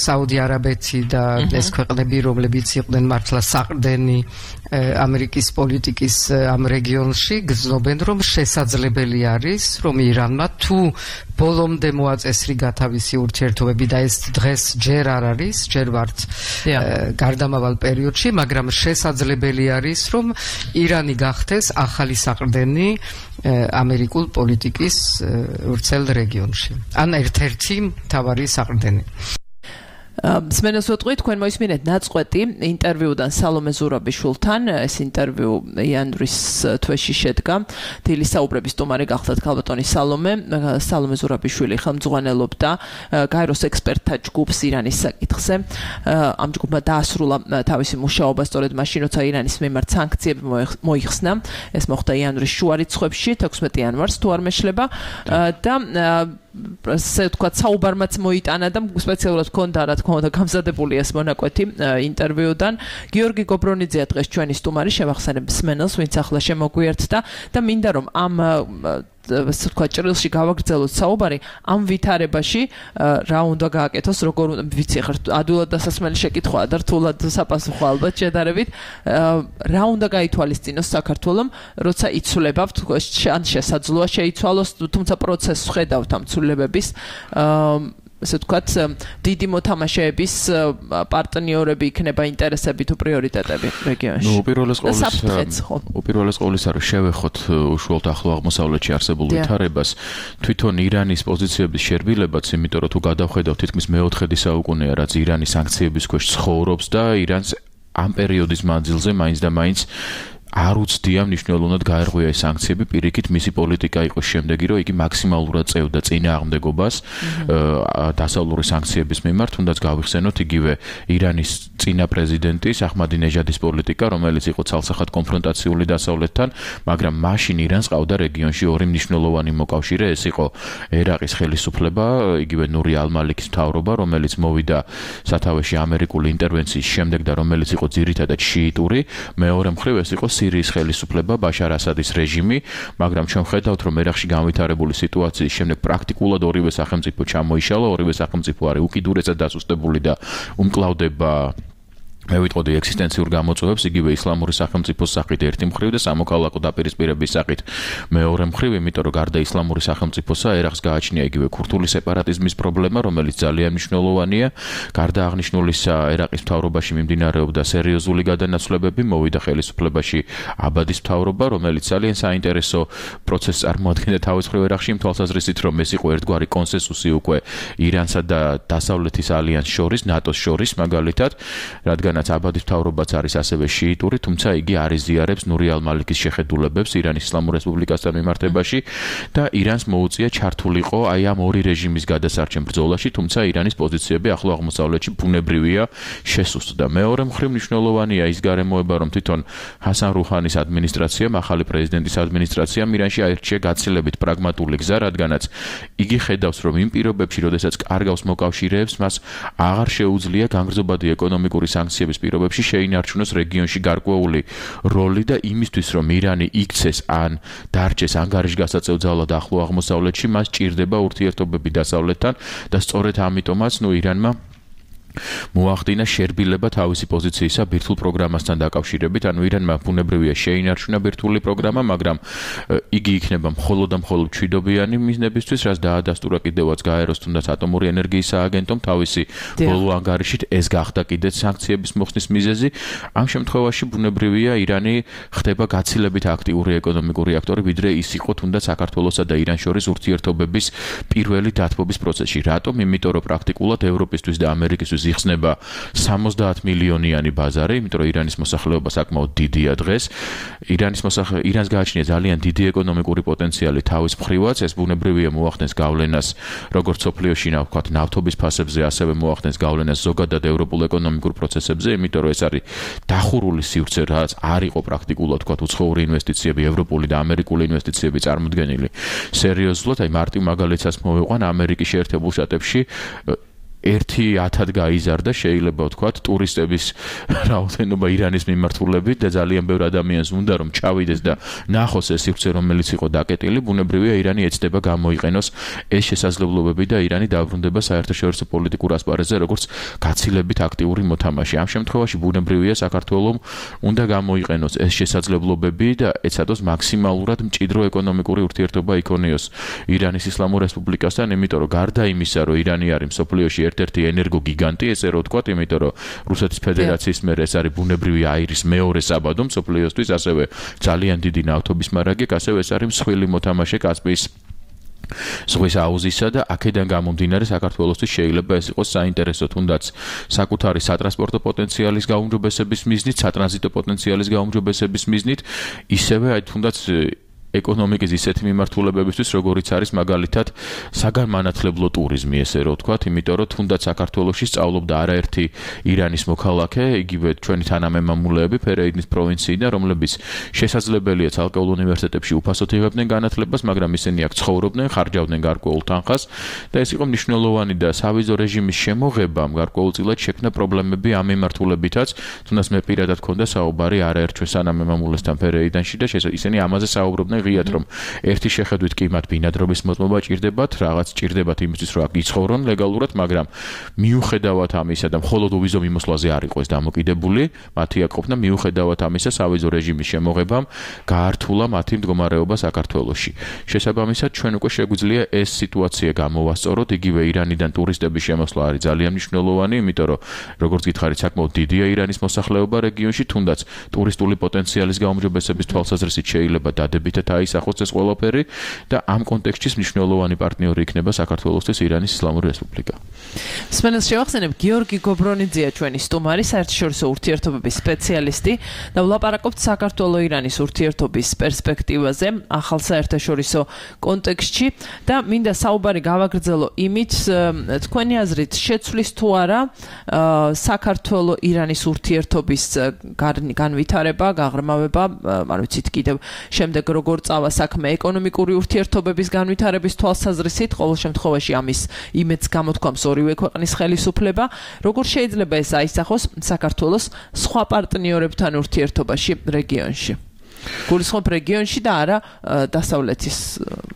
საუდი არაბეთი და ეს ქვეყნები, რომლებიც იყვნენ მართლა საყრდენი ამერიკის პოლიტიკის ამ რეგიონში, გრძნობენ, რომ შესაძლებელი არის, რომ ირანმა თუ ბოლომდე მოაწესრიგა თავისი ურთიერთობები და ეს დღეს ჯერ არ არის, ჯერ ვართ გარდამავალ პერიოდში, მაგრამ შესაძლებელი არის, რომ ირანი გახდეს ახალი საყრდენი ამერიკულ პოლიტიკის ვრცელ რეგიონში. ან ერთ-ერთი მთავარი საყრდენი.
სმენელს ვეთყვი, თქვენ მოისმინეთ ნაწყვეტი ინტერვიუდან სალომე ზურაბიშვილთან. ეს ინტერვიუ იანვრის თვეში შედგა. დილის საუბრების სტუმარი გახლდათ ქალბატონი სალომე. სალომე ზურაბიშვილი ხელმძღვანელობდა გაეროს ექსპერტთა ჯგუფს ირანის საკითხზე. ამ ჯგუფმა დაასრულა თავისი მუშაობა სწორედ მაშინ, როცა ირანის მიმართ სანქციები მოიხსნა. ეს მოხდა იანვრის შუა რიცხვებში, თექვსმეტი იანვარს თუ არ მეშლება და ასე ვთქვათ, საუბარმაც მოიტანა და სპეციალურად ჰქონდა, რა თქმა უნდა, გამზადებული ეს მონაკვეთი ინტერვიუდან. გიორგი გობრონიძეა დღეს ჩვენი სტუმარი, შევახსენებ სმენელს, ვინც ახლა შემოგვიერთდა და მინდა რომ ამ ასე ვთქვათ, ჭრილში გავაგრძელოთ საუბარი ამ ვითარებაში, რა უნდა გააკეთოს, როგორ უნდა, ვიცი, ხარ ადვილად დასასმელი შეკითხვაა და რთულად საპასუხო ალბათ შედარებით, რა უნდა გაითვალისწინოს საქართველომ, როცა იცვლება, ან შესაძლოა შეიცვალოს, თუმცა პროცესს ხედავთ ამ ცვლილებების, ასე ვთქვათ, დიდი მოთამაშეების პარტნიორები იქნება ინტერესები თუ პრიორიტეტები რეგიონში.
ნუ უპირველეს ყოვლისა, უპირველეს ყოვლისა რომ შევეხოთ უშუალოდ ახლო აღმოსავლეთში არსებულ ვითარებას, თვითონ ირანის პოზიციების შერბილებაც, იმიტომ რომ თუ გადავხედავთ, თითქმის მეოთხედი საუკუნეა, რაც ირანი სანქციების ქვეშ ცხოვრობს და ირანს ამ პერიოდის მანძილზე მაინც და მაინც არ უცდია მნიშვნელოვნად გაერღვია ეს სანქციები, პირიქით მისი პოლიტიკა იყო შემდეგი, რომ იგი მაქსიმალურად წევდა წინააღმდეგობას დასავლური სანქციების მიმართ, თუნდაც გავიხსენოთ იგივე ირანის წინა პრეზიდენტის აჰმადინეჟადის პოლიტიკა, რომელიც იყო ცალსახად კონფრონტაციული დასავლეთთან, მაგრამ მაშინ ირანს ყავდა რეგიონში ორი მნიშვნელოვანი მოკავშირე, ეს იყო ერაყის ხელისუფლება, იგივე ნური ალ-მალიკის მთავრობა, რომელიც მოვიდა სათავეში ამერიკული ინტერვენციის შემდეგ და რომელიც იყო ძირითადად შიიტური, მეორე მხრივ ეს იყო სირიის ხელისუფლება, ბაშარ ასადის რეჟიმი, მაგრამ ჩვენ ხედავთ, რომ ერაყში განვითარებული სიტუაციის შემდეგ პრაქტიკულად ორივე სახელმწიფო ჩამოიშალა, ორივე სახელმწიფო არის უკიდურესად დასუსტებული და უმკლავდება მე ვიტყოდი ექსისტენციურ გამოწვევებს, იგივე ისლამური სახელმწიფოს სახით ერთი მხრივ და სამოქალაქო დაპირისპირების სახით მეორე მხრივ, იმიტომ რომ გარდა ისლამური სახელმწიფოსა, ერაყს გააჩნია იგივე ქურთული სეპარატიზმის პრობლემა, რომელიც ძალიან მნიშვნელოვანია. გარდა აღნიშნულისა, ერაყის მთავრობაში მიმდინარეობდა სერიოზული გადანაცვლებები, მოვიდა ხელისუფლებაში აბადის მთავრობა, რომელიც ძალიან საინტერესო პროცესს წარმოადგენდა თავის მხრივ ერაყში, იმ თვალსაზრისით, რომ ეს იყო ერთგვარი კონსენსუსი უკვე ირანსა და დასავლეთის ალიანსს შორის, ნატოს შორის, მაგალითად, რადგან აბადის მთავრობაც არის ასევე შიიტური, თუმცა იგი არ იზიარებს ნური ალ-მალიკის შეხედულებებს ირანის ისლამურ რესპუბლიკასთან მიმართებაში და ირანს მოუწია ჩართულიყო აი ამ ორი რეჟიმის გადასარჩენ ბრძოლაში, თუმცა ირანის პოზიციები ახლო აღმოსავლეთში ბუნებრივია შესუსტდა. მეორე მხრივ მნიშვნელოვანია ის გარემოება, რომ თვითონ ჰასან რუჰანის ადმინისტრაციამ, ახალი პრეზიდენტის ადმინისტრაციამ ირანში აირჩია გაცილებით პრაგმატული გზა, რადგანაც იგი ხედავს, რომ იმ პირობებში, როდესაც კარგავს მოკავშირეებს, მას აღარ შეუძლია განგრძობადი ეკონომიკური სანქციები პირობებში შეინარჩუნოს რეგიონში გარკვეული როლი და იმისთვის, რომ ირანი იქცეს ან დარჩეს ანგარიშგასაწევ ძალად ახლო აღმოსავლეთში, მას ჭირდება ურთიერთობები დასავლეთთან და სწორედ ამიტომაც, ნუ ირანმა მოახდინა შერბილება თავისი პოზიციისა ბირთვულ პროგრამასთან დაკავშირებით, ანუ ირანმა ბუნებრივია შეინარჩუნა ბირთვული პროგრამა, მაგრამ იგი იქნება მხოლოდ და მხოლოდ მშვიდობიანი მიზნებისთვის, რაც დაადასტურა კიდევაც გაეროს თუნდაც ატომური ენერგიის სააგენტომ თავისი ბოლო ანგარიშით, ეს გახდა კიდეც სანქციების მოხსნის მიზეზი. ამ შემთხვევაში ბუნებრივია ირანი ხდება გაცილებით აქტიური ეკონომიკური აქტორი, ვიდრე ის იყო თუნდაც საქართველოსა და ირანს შორის ურთიერთობების პირველი დათბობის პროცესში. რატომ? იმიტომ რომ პრაქტიკულად ევროპისთვის და ამერიკისთვის იხსნება სამოცდაათ მილიონიანი ბაზარი, იმიტომ რომ ირანის მოსახლეობა საკმაოდ დიდია დღეს. ირანის მოსახლე ირანს გააჩნია ძალიან დიდი ეკონომიკური პოტენციალი თავის მხრივაც, ეს ბუნებრივია მოახდენს გავლენას როგორც სოფლიოში, ვთქვათ, ნავთობის ფასებზე, ასევე მოახდენს გავლენას ზოგადად ევროპულ ეკონომიკურ პროცესებზე, იმიტომ რომ ეს არის დახურული სივრცე, რაც არ იყო პრაქტიკულად, ვთქვათ, უცხოური ინვესტიციები, ევროპული და ამერიკული ინვესტიციები წარმოდგენილი სერიოზულად, აი მარტივ მაგალითსაც მოვიყვან ამერიკის შეერთებულ შტატებში ერთი ათად გაიზარდა შეიძლება ვთქვათ ტურისტების რაოდენობა ირანის მიმართულებით და ძალიან ბევრ ადამიანს უნდა რომ ჩავიდეს და ნახოს ეს სივრცე რომელიც იყო დაკეტილი, ბუნებრივია ირანი ეცდება გამოიყენოს ეს შესაძლებლობები და ირანი დაბრუნდება საერთაშორისო პოლიტიკურ ასპარეზზე როგორც გაცილებით აქტიური მოთამაშე. ამ შემთხვევაში ბუნებრივია საქართველოს უნდა გამოიყენოს ეს შესაძლებლობები და ეცადოს მაქსიმალურად მჭიდრო ეკონომიკური ურთიერთობა იქონიოს ირანის ისლამურ რესპუბლიკასთან, იმიტომ რომ გარდა იმისა რომ ირანი არის მსოფლიოში ერთ-ერთი ენერგოგიგანტი, ესე რომ ვთქვათ, იმიტომ რომ რუსეთის ფედერაციის მიერ ეს არის ბუნებრივი აირის მეორე საბადო მსოფლიოსთვის, ასევე ძალიან დიდი ნავთობის მარაგი, ასევე ეს არის მსხვილი მოთამაშე კასპიის ზღვის აუზისა და აქედან გამომდინარე საქართველოსთვის შეიძლება ეს იყოს საინტერესო თუნდაც საკუთარი სატრანსპორტო პოტენციალის გაუმჯობესების მიზნით, სატრანზიტო პოტენციალის გაუმჯობესების მიზნით, ისევე აი თუნდაც ეკონომიკის ისეთი მიმართულებებისთვის, როგორიც არის მაგალითად საგანმანათლებლო ტურიზმი, ესე რომ ვთქვათ, იმიტომ რომ თუნდაც საქართველოში სწავლობდა არაერთი ირანის მოქალაქე, იგივე ჩვენი თანამემამულეები ფერეიდის პროვინციიდან, რომლებიც შესაძლებელია ცალკეულ უნივერსიტეტებში უფასოდ იღებდნენ განათლებას, მაგრამ ისინი აქ ცხოვრობდნენ, ხარჯავდნენ გარკვეულ თანხას და ეს იყო მნიშვნელოვანი და სავიზო რეჟიმის შემოღებამ გარკვეულწილად შექმნა პრობლემები ამ მიმართულებითაც, თუნდაც მე პირადად მქონდა საუბარი არაერთ ჩვენ თანამემამულესთან ფერეიდანში და ისინი ამაზე საუბრობდნენ ღიად რომ ერთი შეხედვით კი მათ ბინადრობის მოწმობა ჭირდებათ, რაღაც ჭირდებათ იმისთვის რომ აქ იცხოვრონ ლეგალურად, მაგრამ მიუხედავად ამისა და მხოლოდ ვიზო მიმოსვლაზე არ იყო ეს დამოკიდებული, მათი აქ ყოფნა მიუხედავად ამისა სავიზო რეჟიმის შემოღებამ გაართულა მათი მდგომარეობა საქართველოში. შესაბამისად, ჩვენ უკვე შეგვიძლია ეს სიტუაცია გამოვასწოროთ, იგივე ირანიდან ტურისტების შემოსვლა არის ძალიან მნიშვნელოვანი, იმიტომ რომ როგორც გითხარით, საკმაოდ დიდია ირანის მოსახლეობა რეგიონში, თუნდაც ტურისტული პოტენციალის გაუმჯობესების თვალსაზრისით შეიძლება დადებითად აისახოს ეს ყველაფერი და ამ კონტექსტში მნიშვნელოვანი პარტნიორი იქნება საქართველოსთვის ირანის ისლამური რესპუბლიკა.
სმენელს შევახსენებ, გიორგი გობრონიძეა ჩვენი სტუმარი, საერთაშორისო ურთიერთობების სპეციალისტი და ვლაპარაკობთ საქართველო-ირანის ურთიერთობის პერსპექტივაზე ახალ საერთაშორისო კონტექსტში და მინდა საუბარი გავაგრძელო იმით, თქვენი აზრით შეცვლის თუ არა საქართველო-ირანის ურთიერთობის განვითარება, გაღრმავება, არ ვიცით კიდევ შემდეგ როგორ წავა საქმე ეკონომიკური ურთიერთობების განვითარების თვალსაზრისით, ყოველ შემთხვევაში ამის იმედს გამოთქვამს ორივე ქვეყნის ხელისუფლება, როგორ შეიძლება ეს აისახოს საქართველოს სხვა პარტნიორებთან ურთიერთობაში რეგიონში? გულისხმობ რეგიონში და არა დასავლეთის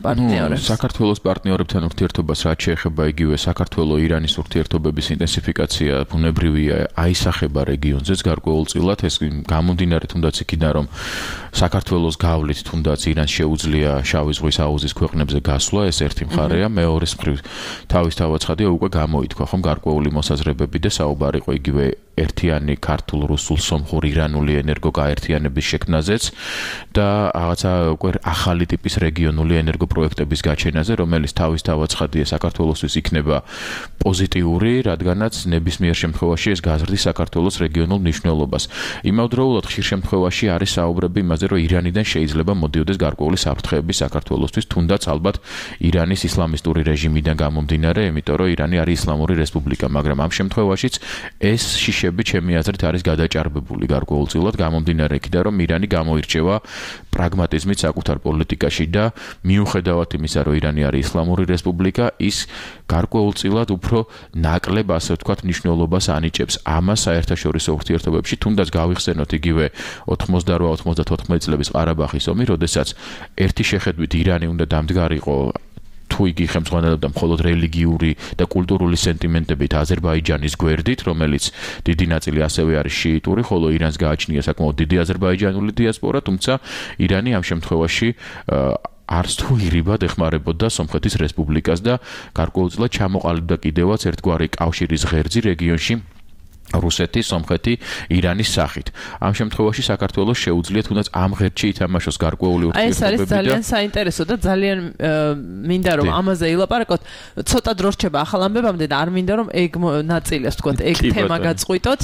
პარტნიორებს.
საქართველოს პარტნიორებთან ურთიერთობას რაც შეეხება იგივე საქართველო-ირანის ურთიერთობების ინტენსიფიკაცია ბუნებრივია აისახება რეგიონზეც გარკვეულწილად, ეს გამომდინარე თუნდაც იქიდან რომ საქართველოს გავლით თუნდაც ირანს შეუძლია შავი ზღვის აუზის ქვეყნებზე გასვლა, ეს ერთი მხარეა, მეორეს მხრივ თავისთავად ცხადია უკვე გამოითქვა ხომ გარკვეული მოსაზრებები და საუბარი იყო იგივე ერთიანი ქართულ, რუსულ, სომხურ, ირანული ენერგოგაერთიანების შექმნაზეც და რაღაცა უკვე ახალი ტიპის რეგიონული ენერგოპროექტების გაჩენაზე, რომელიც თავისთავად ცხადია საქართველოსთვის იქნება პოზიტიური, რადგანაც ნებისმიერ შემთხვევაში ეს გაზრდის საქართველოს რეგიონულ მნიშვნელობას. იმავდროულად ხშირ შემთხვევაში არის საუბრები იმაზე, რომ ირანიდან შეიძლება მოდიოდეს გარკვეული საფრთხეები საქართველოსთვის, თუნდაც ალბათ ირანის ისლამისტური რეჟიმიდან გამომდინარე, იმიტომ რომ ირანი არის ისლამური რესპუბლიკა, მაგრამ ამ შემთხვევაშიც ეს შიშები ჩემი აზრით არის გადაჭარბებული გარკვეულწილად გამომდინარე იქიდან, რომ ირანი გამოირჩევა პრაგმატიზმით საკუთარ პოლიტიკაში და მიუხედავად იმისა, რომ ირანი არის ისლამური რესპუბლიკა, ის გარკვეულწილად უფრო ნაკლებ, ასე ვთქვათ, მნიშვნელობას ანიჭებს ამას საერთაშორისო ურთიერთობებში, თუნდაც გავიხსენოთ იგივე ოთხმოცდაოთხ ოცდაოთხ წლების ყარაბაღის ომი, როდესაც ერთი შეხედვით ირანი უნდა დამდგარიყო თუ თუ იგი ხელმძღვანელობდა მხოლოდ რელიგიური და კულტურული სენტიმენტებით აზერბაიჯანის გვერდით, რომელიც დიდი ნაწილი ასევე არის შიიტური, ხოლო ირანს გააჩნია საკმაოდ დიდი აზერბაიჯანული დიასპორა, თუმცა ირანი ამ შემთხვევაში არც თუ ირიბად ეხმარებოდა სომხეთის რესპუბლიკას და გარკვეულწილად ჩამოყალიბდა კიდევაც ერთგვარი კავშირის ღერძი რეგიონში რუსეთი, სომხეთი, ირანის სახით. ამ შემთხვევაში საქართველოს შეუძლია თუნდაც ამ ღერძში ითამაშოს გარკვეული ურთიერთობები.
ეს არის ძალიან საინტერესო და ძალიან მინდა რომ ამაზე ილაპარაკოთ. ცოტა დრო რჩება ახალ ამბებამდე და არ მინდა რომ ეგ ნაწილი, ასე ვთქვათ, ეგ თემა გაწყვიტოთ.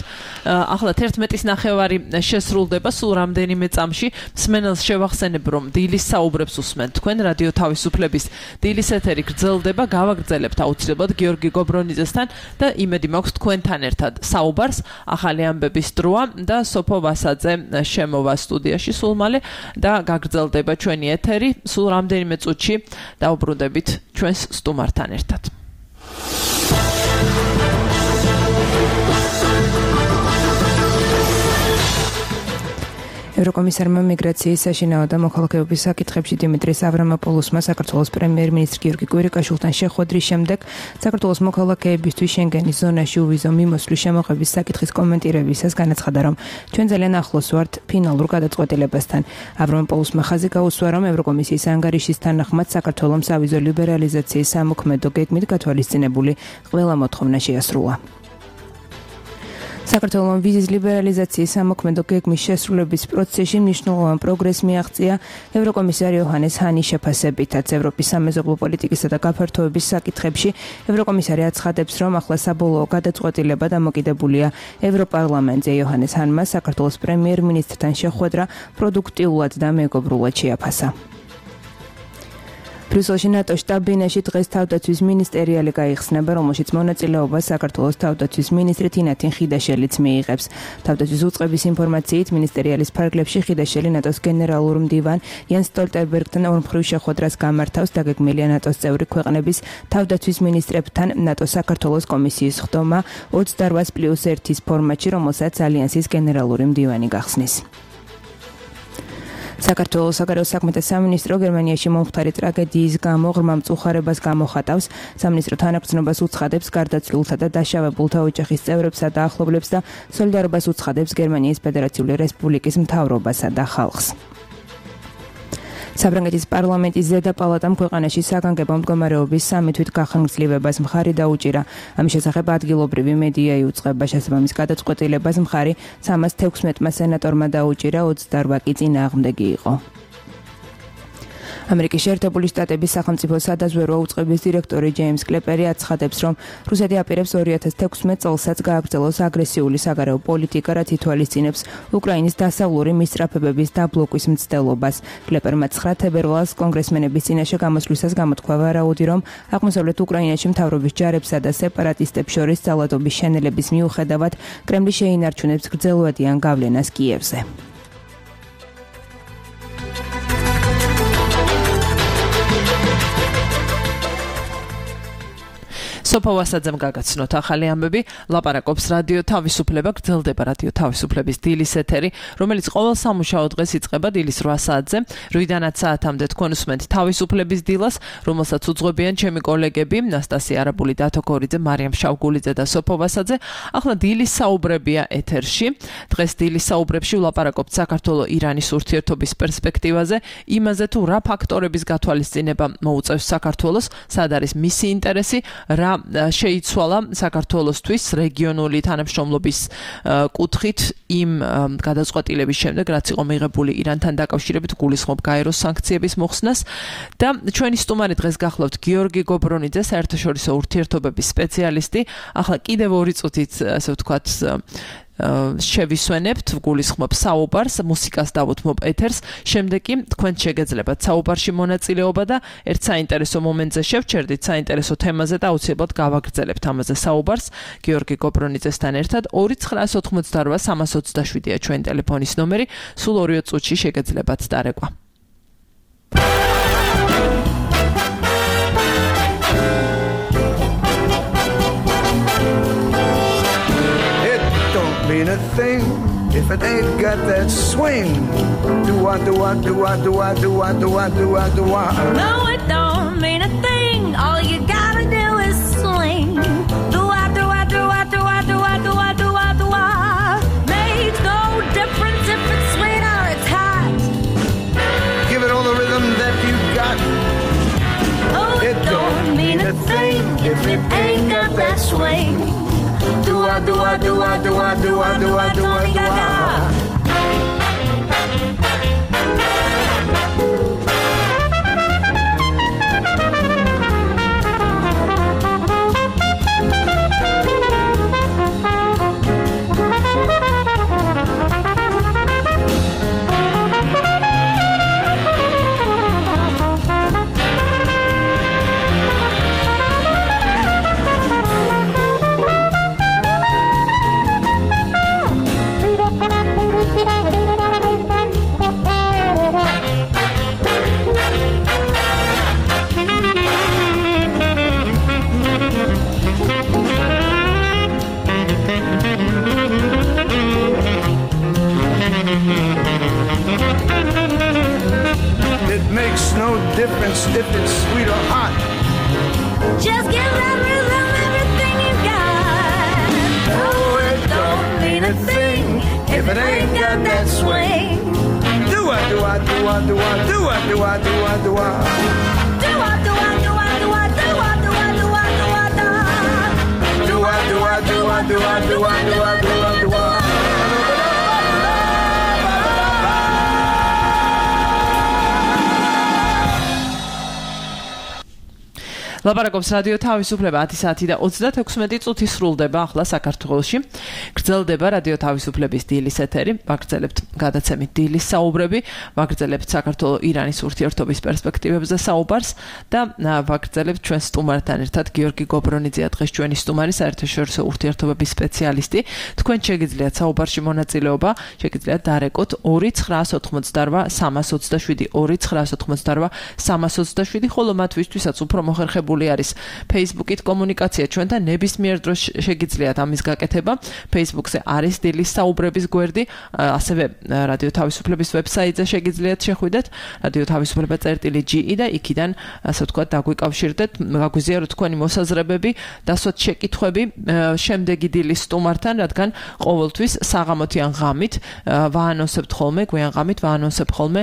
ახლა თერთმეტის ნახევარი შესრულდება სულ რამდენიმე წამში. მსმენელს შევახსენებ რომ დილის საუბრებს უსმენთ თქვენ რადიო თავისუფლების დილის ეთერი გრძელდება, გავაგრძელებთ აუცილებლად გიორგი გობრონიძესთან და იმედი მაქვს თქვენთან ერთად საუბრობთ ბარს ახალი ამბების დროა და სოფო ვასაძე შემოვა სტუდიაში სულ მალე და გაგრძელდება ჩვენი ეთერი სულ რამდენიმე წუთში დაუბრუნდებით ჩვენს სტუმართან ერთად.
ევროკომისარმა მიგრაციის საშინაო და მოქალაქეობის საკითხებში დიმიტრის ავრამოპოლოსმა საქართველოს პრემიერ-მინისტრ გიორგი კვირიკაშვილთან შეხვედრის შემდეგ საქართველოს მოქალაქეებისთვის შენგენის ზონაში უვიზო მიმოსვლის შემოღების საკითხის კომენტირებისას განაცხადა, რომ ჩვენ ძალიან ახლოს ვართ ფინალურ გადაწყვეტილებასთან. ავრამოპოლოსმა ხაზი გაუსვა, რომ ევროკომისიის ანგარიშის თანახმად საქართველოს ავიზო ლიბერალიზაციის სამოქმედო გეგმით გათვალისწინებული ყველა მოთხოვნა შეასრულა. საქართველოს ვიზის ლიბერალიზაციის სამოქმედო გეგმის შესრულების პროცესში მნიშვნელოვან პროგრესს მიაღწია ევროკომისარ იოჰანეს ჰანის შეფასებითაც. ევროპის სამეზობლო პოლიტიკისა და გაფართოების საკითხებში ევროკომისარი აცხადებს, რომ ახლა საბოლოო გადაწყვეტილება დამოკიდებულია ევროპარლამენტზე. იოჰანეს ჰანმა საქართველოს პრემიერ-მინისტრთან შეხვედრა პროდუქტიულად და მეგობრულად შეაფასა. ბრიუსელში ნატოს შტაბ-ბინაში დღეს თავდაცვის მინისტერიალი გაიხსნება, რომელშიც მონაწილეობას საქართველოს თავდაცვის მინისტრი თინათინ ხიდაშელიც მიიღებს. თავდაცვის უწყების ინფორმაციით, მინისტერიალის ფარგლებში ხიდაშელი ნატოს გენერალურ მდივან იანს სტოლტენბერგთან ორმხრივ შეხვედრას გამართავს. დაგეგმილია ნატოს წევრი ქვეყნების თავდაცვის მინისტრებთან ნატოს საქართველოს კომისიის ხდომა ოცდაოთხ პლუს ერთის ფორმატში, რომელსაც ალიანსის გენერალური მდივანი გახსნის. საქართველოს საგარეო საქმეთა სამინისტრო გერმანიაში მომხდარი ტრაგედიის გამო ღრმა მწუხარებას გამოხატავს. სამინისტრო თანაგრძნობას უცხადებს გარდაცვლილთა და დაშავებულთა ოჯახის წევრებსა და ახლობლებს და სოლიდარობას უცხადებს გერმანიის ფედერაციული რესპუბლიკის მთავრობასა და ხალხს. საფრანგეთის პარლამენტის ზედა პალატამ ქვეყანაში საგანგებო მდგომარეობის სამი თვით გახანგრძლივებას მხარი დაუჭირა. ამის შესახებ ადგილობრივი მედია იუწყება. შესაბამის გადაწყვეტილებას მხარი სამას თექვსმეტმა სენატორმა დაუჭირა, ოცდაოთხ კი წინააღმდეგი იყო. ამერიკის შეერთებული შტატების სახელმწიფო სადაზვერვო უწყების დირექტორი ჯეიმს კლეპერი აცხადებს, რომ რუსეთი აპირებს ორი ათას თექვსმეტ წელსაც გააგრძელოს აგრესიული საგარეო პოლიტიკა, რაც ითვალისწინებს უკრაინის დასავლური მისწრაფებების დაბლოკვის მცდელობას. კლეპერმა ცხრა თებერვალს კონგრესმენების წინაშე გამოსვლისას გამოთქვა ვარაუდი, რომ აღმოსავლეთ უკრაინაში მთავრობის ჯარებსა და სეპარატისტებს შორის ძალადობის შენელების მიუხედავად კრემლი შეინარჩუნებს გრძელვადიან გავლენას კიევზე.
სოფო ვასაძემ გაგაცნოთ ახალი ამბები, ლაპარაკობს რადიო თავისუფლება, გრძელდება რადიო თავისუფლების დილის ეთერი, რომელიც ყოველ სამუშაო დღეს იწყება დილის რვა საათზე, რვიდანაც საათამდე თქვენ უსმენთ თავისუფლების დილას, რომელსაც უძღვებიან ჩემი კოლეგები ნასტასია არაბული, დათო ქორიძე, მარიამ შავგულიძე და სოფო ვასაძე. ახლა დილის საუბრებია ეთერში. დღეს დილის საუბრებში ვლაპარაკობთ საქართველო-ირანის ურთიერთობის პერსპექტივაზე, იმაზე თუ რა ფაქტორების გათვალისწინება მოუწევს საქართველოს, სად არის მისი ინტერესი, რა შეიცვალა საქართველოსთვის რეგიონული თანამშრომლობის კუთხით იმ გადაწყვეტილების შემდეგ, რაც იყო მიღებული ირანთან დაკავშირებით, გულისხმობ გაეროს სანქციების მოხსნას და ჩვენი სტუმარი დღეს გახლავთ გიორგი გობრონიძე, საერთაშორისო ურთიერთობების სპეციალისტი. ახლა კიდევ ორი წუთით, ასე ვთქვათ, შევისვენებთ, გულისხმობ საუბარს, მუსიკას დავუთმობ ეთერს, შემდეგ კი თქვენ შეგეძლებათ საუბარში მონაწილეობა და ერთ საინტერესო მომენტზე შევჩერდით, საინტერესო თემაზე და აუცილებლად გავაგრძელებთ ამაზე საუბარს გიორგი გობრონიძესთან ერთად. ორი ცხრა ოცდაოთხ სამას ოცდაშვიდია ჩვენი ტელეფონის ნომერი, სულ ორი წუთში შეგეძლებათ დარეკვა.
Mean a thing if it ain't got that swing. Do I do I do I do I do I do I do I do I
No, it don't mean a thing swing. Dua, dua, dua, dua, dua, dua, dua, dua.
Difference if it's sweet or hot.
Just give that rhythm everything you got. Oh, it don't mean a thing if it ain't got that swing.
Do I, do I, do I, do I, do I, do I, do I, do I.
Do I, do I, do I, do I, do I, do I, do I, do I, do I.
Do I, do I, do I, do I, do I, do I, do I, do I.
ლაპარაკობს რადიო თავისუფლება ათი საათი და ოცდათექვსმეტი წუთი სრულდება ახლა საქართველოში. გრძელდება რადიო თავისუფლების დილის ეთერი. ვაგრძელებთ გადაცემით დილის საუბრები, ვაგრძელებთ საქართველო-ირანის ურთიერთობის პერსპექტივებზე საუბარს და ვაგრძელებთ ჩვენ სტუმართან ერთად გიორგი გობრონიძეა დღეს ჩვენი სტუმარი, საერთაშორისო ურთიერთობების სპეციალისტი. თქვენ შეგიძლიათ საუბარში მონაწილეობა, შეგიძლიათ დარეკოთ ორი ცხრაას ოცდაოთხმოცდარბა სამას ოცდაშვიდი ორი ცხრაას ოცდაოთხმოცდარბა სამას ოცდაშვიდი ხოლო მათვისთვისაც უფრო მოხერხებული არის Facebook-ით კომუნიკაცია ჩვენთან ნებისმიერ დროს შეგიძლიათ ამის გაკეთება. Facebook-ზე არის დილის საუბრების გვერდი, ასევე რადიო თავისუფლების ვებსაიტზე შეგიძლიათ შეხვიდეთ რადიო თავისუფლება წერტილი ჯი ი და იქიდან ასე ვთქვათ დაგვიკავშირდეთ, გაგვიზიაროთ თქვენი მოსაზრებები, დასვათ შეკითხვები შემდეგი დილის სტუმართან, რადგან ყოველთვის საღამოთი ან ღამით ვაანონსებთ ხოლმე, გვიან ღამით ვაანონსებთ ხოლმე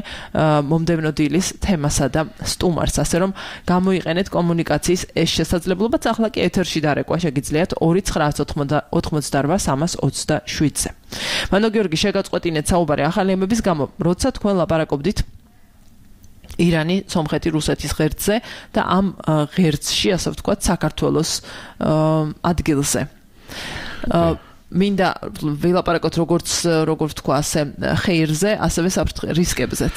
მომდევნო დილის თემასა და სტუმარს, ასე რომ გამოიყენეთ კომუნიკაცია ეს შესაძლებლობაც ახლა კი ეთერში დარეკვა შეგიძლიათ ორი ცხრაას ოცდაოთხმოცდაარბა სამას ოცდაშვიდზე. მანო გიორგი შეგაწყვეტინეთ საუბარი ახალი ემების გამო, როცა თქვენ ლაპარაკობდით ირანი, სომხეთი, რუსეთის ღერძზე და ამ ღერძში, ასე ვთქვათ, საქართველოს ადგილზე. მინდა ვილაპარაკოთ როგორც როგორ ვთქვა ასე ხეირზე, ასევე რისკებზეც.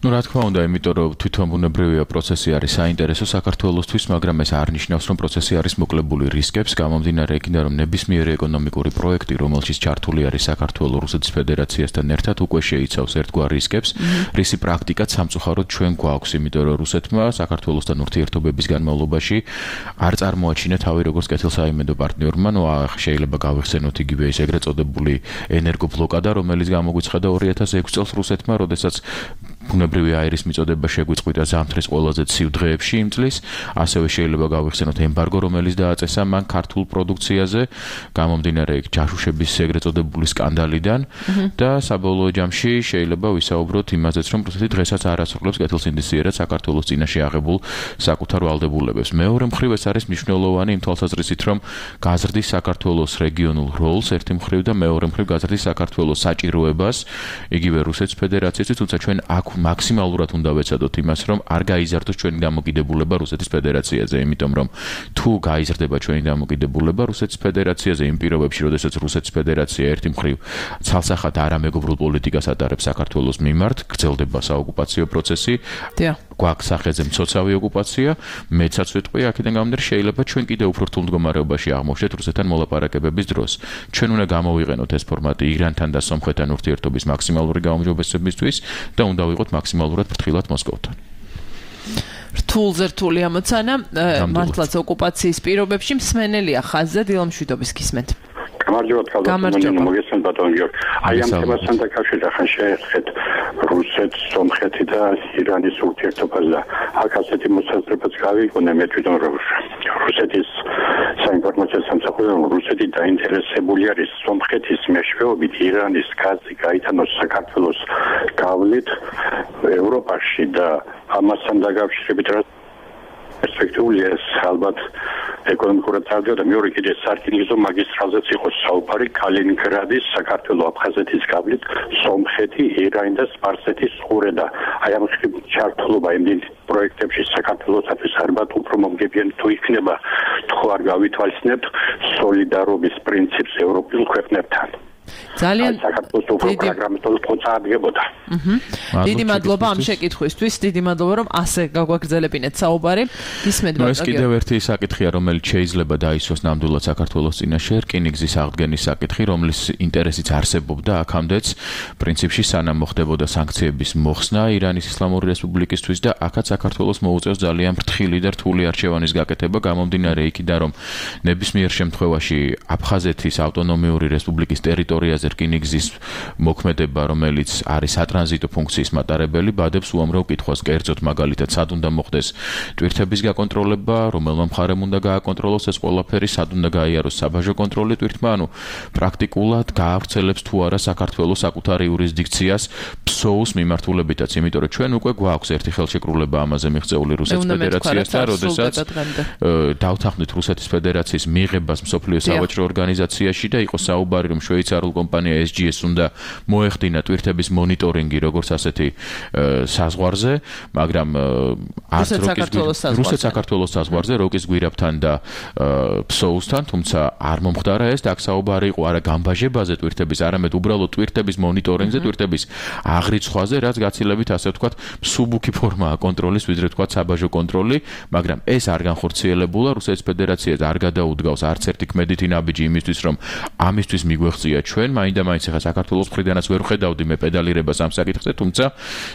Ну, რა თქმა უნდა, იმიტომ რომ თვითონ ბუნებრივია პროცესი არის საინტერესო საქართველოსთვის, მაგრამ ეს არ ნიშნავს, რომ პროცესი არის მოკლებული რისკებს, გამომდინარე იქიდან, რომ ნებისმიერი ეკონომიკური პროექტი, რომელშიც ჩართული არის საქართველო რუსეთის ფედერაციასთან ერთად, უკვე შეიცავს ერთგვარ რისკებს, რისი პრაქტიკაც სამწუხაროდ ჩვენ გვაქვს, იმიტომ რომ რუსეთმა საქართველოსთან ურთიერთობების განმავლობაში არ წარმოაჩინა თავი როგორც კეთილსაიმედო პარტნიორმა, ну, შეიძლება გავიხსენოთ იგივე ეს ეგრეთ წოდებული ენერგობლოკადა, რომელიც გამოგვიცხადა ორი ათას ექვსი წელს რუსეთმა, როდესაც ბუნებრივი აირის მიწოდება შეგვიწყვიტა ზამთრის ყველაზე ცივ დღეებში იმ წლის, ასევე შეიძლება გავიხსენოთ ემბარგო, რომელიც დააწესა მან ქართულ პროდუქციაზე, გამომდინარე იქ ჯაშუშების ეგრეთ წოდებული სკანდალიდან და საბოლოო ჯამში შეიძლება ვისაუბროთ იმაზეც, რომ რუსეთი დღესაც არ ასრულებს კეთილსინდისიერად საქართველოს წინაშე აღებულ საკუთარ ვალდებულებებს. მეორე მხრივ ეს არის მნიშვნელოვანი იმ თვალსაზრისით, რომ გაზრდის საქართველოს რეგიონულ როლს ერთი მხრივ და მეორე მხრივ გაზრდის საქართველოს საჭიროებას იგივე რუსეთის ფედერაციისთვის, თუმცა ჩვენ აქ მაქსიმალურად უნდა ვეცადოთ იმას, რომ არ გაიზარდოს ჩვენი დამოკიდებულება რუსეთის ფედერაციაზე, იმიტომ რომ თუ გაიზრდება ჩვენი დამოკიდებულება რუსეთის ფედერაციაზე იმ პირობებში, როდესაც რუსეთის ფედერაცია ერთი მხრივ ცალსახად არამეგობრულ პოლიტიკას ატარებს საქართველოს მიმართ, გრძელდება საოკუპაციო პროცესი, გვაქვს სახეზე მცოცავი ოკუპაცია, მეცაც ვიტყვი, აქედან გამომდინარე შეიძლება ჩვენ კიდევ უფრო რთულ მდგომარეობაში აღმოჩნდეთ რუსეთთან მოლაპარაკებების დროს. ჩვენ უნდა გამოვიყენოთ ეს ფორმატი ირანთან და სომხეთთან ურთიერთობის მაქსიმალური გაუმჯობესებისთვის და უნდა ვიყოთ მაქსიმალურად ფრთხილად მოსკოვთან.
რთულზე რთული ამოცანა, მართლაც ოკუპაციის პირობებში მსმენელია ხაზზე დილამშვიდობის გისმენთ.
გამარჯობათ, καλώς მოგესალმებით ბატონ გიორგი. აი ამ თემასთან დაკავშირებით ახლა შეეხეთ რუსეთს, სომხეთი და ირანის ურთიერთობას და აქ ასეთი მოსაზრებაც გავიგონე მე თვითონ რომ რუსეთის საინფორმაციო სამსახური რუსეთი დაინტერესებული არის სომხეთის მეშვეობით ირანის გაზი გაიტანოს საქართველოს გავლით ევროპაში და ამასთან დაკავშირებით პერსპექტიული ეს ალბათ ეკონომიკურად წარდგა და მეორე კიდე სარკინიგზო მაგისტრალზეც იყო საუბარი კალინინგრადის, საქართველოს, აფხაზეთის გავლით, სომხეთი, ირანი და სპარსეთის ყურე და აი ამ ჩართულობა იმდენ პროექტებში საქართველოსთვის ალბათ უფრო მომგებიანი თუ იქნება თუ არ გავითვალისწინებთ სოლიდარობის პრინციპს ევროპულ ქვეყნებთან.
ძალიან
დიდი პროგრამატული პოწაადგებოდა.
დიდი მადლობა ამ შეკითხვისთვის, დიდი მადლობა რომ ასე გაგვაგრძელებინეთ საუბარი. ისმენთ ბატონო.
ეს კიდევ ერთი საკითხია, რომელიც შეიძლება დაისვას ნამდვილად საქართველოს წინაშე, რკინიგზის აღდგენის საკითხი, რომლის ინტერესიც არსებობდა აქამდეც, პრინციპში სანამ მოხდებოდა სანქციების მოხსნა ირანის ისლამური რესპუბლიკისთვის და აქაც საქართველოს მოუწევს ძალიან ფრთხილი და რთული არჩევანის გაკეთება, გამომდინარე იქიდან, რომ ნებისმიერ შემთხვევაში აფხაზეთის ავტონომიური რესპუბლიკის ტერიტორიაზე რკინიგზის მოქმედება, რომელიც არის სატრანზიტო ფუნქციის მატარებელი, ბადებს უამრავ კითხვას, კერძოდ მაგალითად, სად უნდა მოხდეს ტვირთების გაკონტროლება, რომელმა მხარემ უნდა გააკონტროლოს ეს ყველაფერი, სად უნდა გაიაროს საბაჟო კონტროლი ტვირთმა, ანუ პრაქტიკულად გაავრცელებს თუ არა საქართველოს საკუთარ იურისდიქციას ფსოუს მიმართულებითაც, იმიტომ რომ ჩვენ უკვე გვაქვს ერთი ხელშეკრულება ამაზე მიღწეული რუსეთის ფედერაციასთან, როდესაც დავთანხმდით რუსეთის ფედერაციის მიღებას მსოფლიო სავაჭრო ორგანიზაციაში და იყო საუბარი, რომ შვეიცარიულ კომპანია ეს ჯი ეს უნდა მოეხდინა ტვირთების მონიტორინგი როგორც ასეთი საზღვარზე, მაგრამ არც რუსეთ საქართველოს საზღვარზე, როკის გვირაბთან და ფსოუსთან, თუმცა არ მომხდარა ეს და აქ საუბარი იყო არა გამბაჟებაზე ტვირთების, არამედ უბრალოდ ტვირთების მონიტორინგზე, ტვირთების აღრიცხვაზე, რაც გაცილებით ასე ვთქვათ, მსუბუქი ფორმაა კონტროლის, ვიდრე ვთქვათ საბაჟო კონტროლი, მაგრამ ეს არ განხორციელებულა, რუსეთის ფედერაციას არ გადაუდგავს არც ერთი ქმედითი ნაბიჯი იმისთვის, რომ ამისთვის მიგვეღწია ჩვენ, მაინდა-მაინც ახლა საქართველოს მხრიდანაც ვერ ხედავდი მე პედალირებას ამ საკითხზე, თუმცა,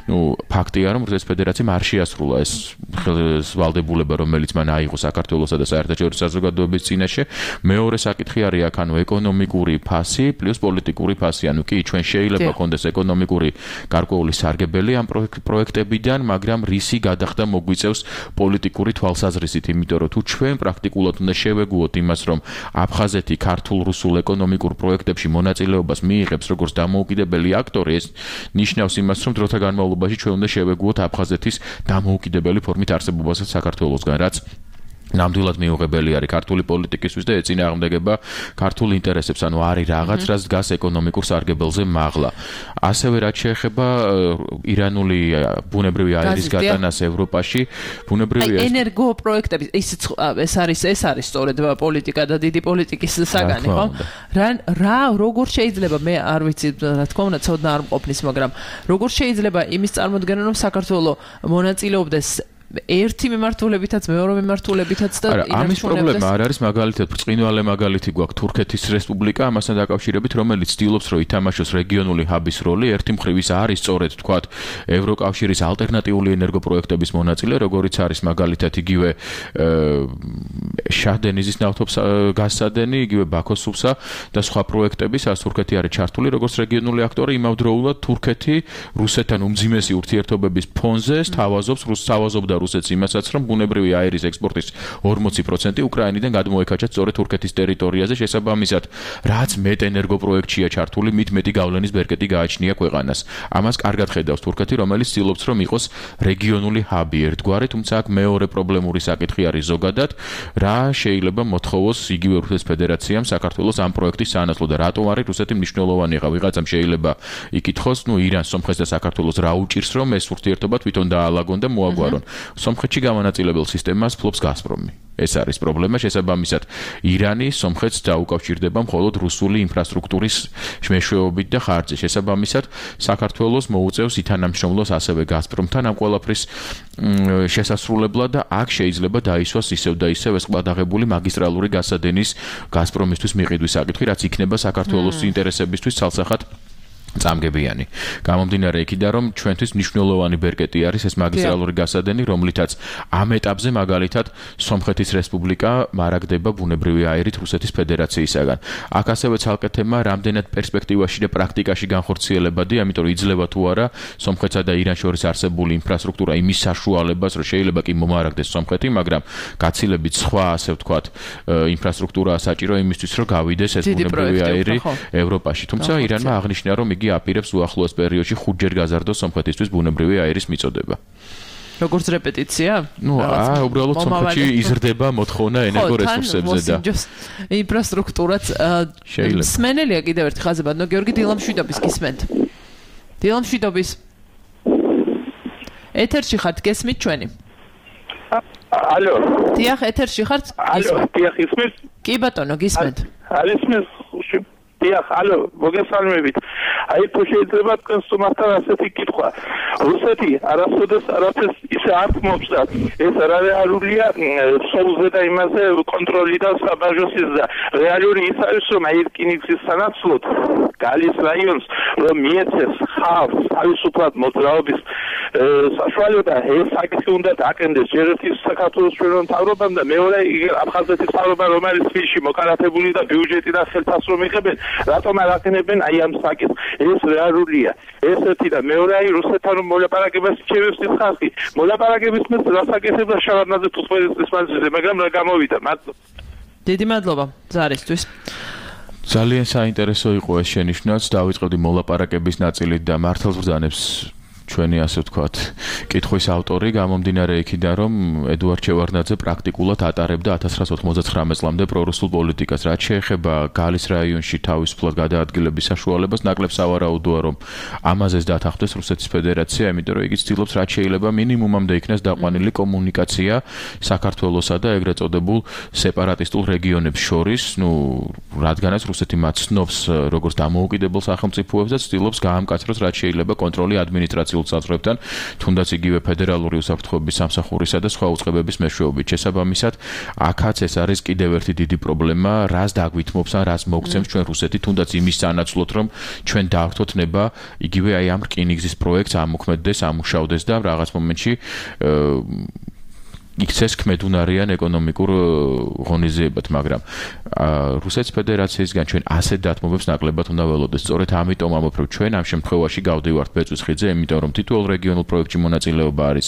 ნუ ფაქტია, რომ რუსეთის ფედერაციამ არ შეასრულა ეს ვალდებულება, რომელიც მან აიღო საქართველოსა და საერთაშორისო საზოგადოების წინაშე. მეორე საკითხი არის აქ, ანუ ეკონომიკური ფასი პლუს პოლიტიკური ფასი, ანუ კი ჩვენ შეიძლება გქონდეს ეკონომიკური გარკვეული სარგებელი ამ პროექტებიდან, მაგრამ რისი გადახდა მოგვიწევს პოლიტიკური თვალსაზრისით, იმიტომ რომ თუ ჩვენ პრაქტიკულად უნდა შევეგუოთ იმას, რომ აფხაზეთი ქართულ-რუსულ ეკონომიკურ პროექტებში მონაწილეობას მიიღებს როგორც დამოუკიდებელი აქტორი, ეს ნიშნავს იმას, რომ დროთა განმავლობაში ჩვენ უნდა შევეგუოთ აფხაზეთის დამოუკიდებელი ფორმით არსებობასაც საქართველოსგან, რაც ნამდვილად მიუღებელი არის ქართული პოლიტიკისთვის და ეწინააღმდეგება ქართულ ინტერესებს, ანუ არის რაღაც, რაც დგას ეკონომიკურ სარგებელზე მაღლა. ასევე რაც შეეხება ირანული ბუნებრივი აირის გატანას ევროპაში, ბუნებრივი
ენერგო პროექტები, ეს არის ეს არის სწორედ პოლიტიკა და დიდი პოლიტიკის საგანი, ხო? რა რა როგორ შეიძლება, მე არ ვიცი, რა თქმა უნდა, ცოდნა არ მყოფნის, მაგრამ როგორ შეიძლება იმის წარმოქმნა, რომ საქართველოს მონაწილეობდეს ერთი მიმართულებითაც, მეორე მიმართულებითაც და
ამის პრობლემა არ არის მაგალითად ბრწყინვალე მაგალითი გვაქვს თურქეთის რესპუბლიკა, ამასთან დაკავშირებით, რომელიც ცდილობს, რომ ითამაშოს რეგიონული ჰაბის როლი, ერთი მხრივ ის არის სწორედ თქვათ ევროკავშირის ალტერნატიული ენერგოპროექტების მონაწილე, როგორიც არის მაგალითად იგივე შაჰ-დენიზის ნავთობგაზსადენი, იგივე ბაქოს სუფსა და სხვა პროექტები, სადაც თურქეთი არის ჩართული როგორც რეგიონული აქტორი, იმავდროულად თურქეთი რუსეთთან უმძიმესი ურთიერთობების ფონზე სთავაზობს რუს სთავაზობდა რუსეთს იმასაც, რომ ბუნებრივი აირის ექსპორტის ორმოცი პროცენტი უკრაინიდან გადმოეკაჩათ სწორედ თურქეთის ტერიტორიაზე, შესაბამისად, რაც მეტ ენერგოპროექტშია ჩართული, მით მეტი გავლენის ბერკეტი გააჩნია ქვეყანას. ამას კარგად ხედავს თურქეთი, რომელიც ცდილობს, რომ იყოს რეგიონული ჰაბი ერთგვარი, თუმცა აქ მეორე პრობლემური საკითხი არის ზოგადად, რა შეიძლება მოთხოვოს იგივე რუსეთის ფედერაციამ საქართველოს ამ პროექტის სანაცვლოდ და რატომ არის რუსეთი მნიშვნელოვანი? ხა ვიღაცამ შეიძლება იკითხოს, ნუ ირანს, სომხეთს და საქართველოს რა უჭირს, რომ ეს ურთიერთობა თვითონ დაალაგონ და მოაგვარონ. სომხეთში გამანაწილებელ სისტემას ფლობს გაზპრომი. ეს არის პრობლემა, შესაბამისად, ირანი სომხეთს დაუკავშირდება მხოლოდ რუსული ინფრასტრუქტურის მეშვეობით და ხარჯზე. შესაბამისად, საქართველოს მოუწევს ითანამშრომლოს ასევე გაზპრომთან ამ ყველაფრის შესასრულებლად და აქ შეიძლება დაისვას ისევ და ისევ ეს ყბადაღებული მაგისტრალური გასადენის გაზპრომისთვის მიყიდვის საკითხი, რაც იქნება საქართველოს ინტერესებისთვის ცალსახად წამგებიანი. გამომდინარე იქიდან, რომ ჩვენთვის მნიშვნელოვანი ბერკეტი არის ეს მაგისტრალური გასადენი, რომლითაც ამ ეტაპზე მაგალითად სომხეთის რესპუბლიკა მარაგდება ბუნებრივი აირით რუსეთის ფედერაციისაგან. აქ ასევე ცალკე თემა, რამდენად პერსპექტივაში და პრაქტიკაში განხორციელებადი, ამიტომ იძლევა თუ არა სომხეთსა და ირანს შორის არსებული ინფრასტრუქტურა იმის საშუალებას, რომ შეიძლება კი მომარაგდეს სომხეთი, მაგრამ გაცილებით სხვა, ასე ვთქვათ, ინფრასტრუქტურაა საჭირო იმისთვის, რომ გავიდეს ეს ბუნებრივი აირი ევროპაში. თუმცა ირანმა აღნიშნა, რომ აპირებს უახლოეს პერიოდში ხუთჯერ გაზარდოს სომხეთისთვის ბუნებრივი აირის მიწოდება.
როგორც რეპეტიცია?
ნუ აა უბრალოდ სომხეთში იზრდება მოთხოვნა ენერგორესურსებზე და
ინფრასტრუქტურაც სმენელია კიდევ ერთი ხაზი ბატონო გიორგი დილამშვიდობის გისმენთ. დილამშვიდობის. ეთერში ხართ გესმით ჩვენი?
ალო.
დიახ, ეთერში ხართ?
ალო, დიახ, ისმის?
კი ბატონო, გისმენთ.
არის მის დიახ, ალო, მოგესალმებით. აი, თუ შეიძლება თქვენს თუმასთან ასეთი კითხვა. რუსეთი არასოდეს არაფერს ისე არ თმობს და ეს რეალურია სოულზე და იმაზე კონტროლი და საბაჟოსის და რეალური ის არის რომ აი რკინიგზის სანაცვლოდ გალის რაიონს რომ მიეცეს ხალხს თავისუფლად მოძრაობის საშუალება ეს საკითხი უნდა დააკენდეს ჯერ ერთი საქართველოს ჩვენო მთავრობამ და მეორე აფხაზეთის მთავრობამ რომელიც ფილში მოკარათებული და ბიუჯეტი და ხელფასრო მიიღებენ რატომ არ აკენებენ აი ამ საკითხს ეს რეალურია ესეთი და მეორე აი რუსეთთან მოლაპარაკებას შეევს ის ხალხი მოლაპარაკების მის რასაკეთებდა შავარდნაძე თუთმეტი მანძილზე მაგრამ რა გამოვიდა მადლობა
დიდი მადლობა ზარისთვის
ძალიან საინტერესო იყო ეს შენიშვნაც დავიწყებდი მოლაპარაკების ნაწილით და მართლაც ბრძანებს ჩვენი ასე ვთქვათ, კითხვის ავტორი გამომდინარე იქიდან, რომ ედუარდ შევარდნაძე პრაქტიკულად ატარებდა ათას ცხრაასი ოთხმოცდათხრამეტ წლამდე პრორუსულ პოლიტიკას. რაც შეეხება გალის რაიონში თავისუფლად გადაადგილების საშუალებას, ნაკლებს ავარაუდოა, რომ ამაზეც დათანხმდეს რუსეთის ფედერაცია, იმიტომ რომ იგი ცდილობს რაც შეიძლება მინიმუმამდე იქნას დაყვანილი კომუნიკაცია საქართველოსა და ეგრეთ წოდებულ სეპარატისტულ რეგიონებს შორის, ну, რადგანაც რუსეთი მათ ცნობს როგორც დამოუკიდებელ სახელმწიფოებს და ცდილობს გაამკაცროს რაც შეიძლება კონტროლი ადმინისტრაციულ საზღვრებთან, თუნდაც იგივე ფედერალური უსაფრთხოების სამსახურისა და სხვა უწყებების მეშვეობით. შესაბამისად, აქაც ეს არის კიდევ ერთი დიდი პრობლემა, რას დაგვითმობს ან რას მოგცემს ჩვენ რუსეთი, თუნდაც იმის სანაცვლოდ, რომ ჩვენ დავართოთ ნება იგივე აი ამ რკინიგზის პროექტს ამოქმედდეს, ამუშავდეს და რაღაც მომენტში იქცეს ქმედუნარიან ეკონომიკურ ღონისძიებად, მაგრამ რუსეთის ფედერაციისგან ჩვენ ასეთ დათმობებს ნაკლებად უნდა ველოდეს. სწორედ ამიტომ ამბობ, რომ ჩვენ ამ შემთხვევაში გავდივართ ბეწვის ხიდზე, იმიტომ რომ თითოეულ რეგიონულ პროექტში მონაწილეობა არის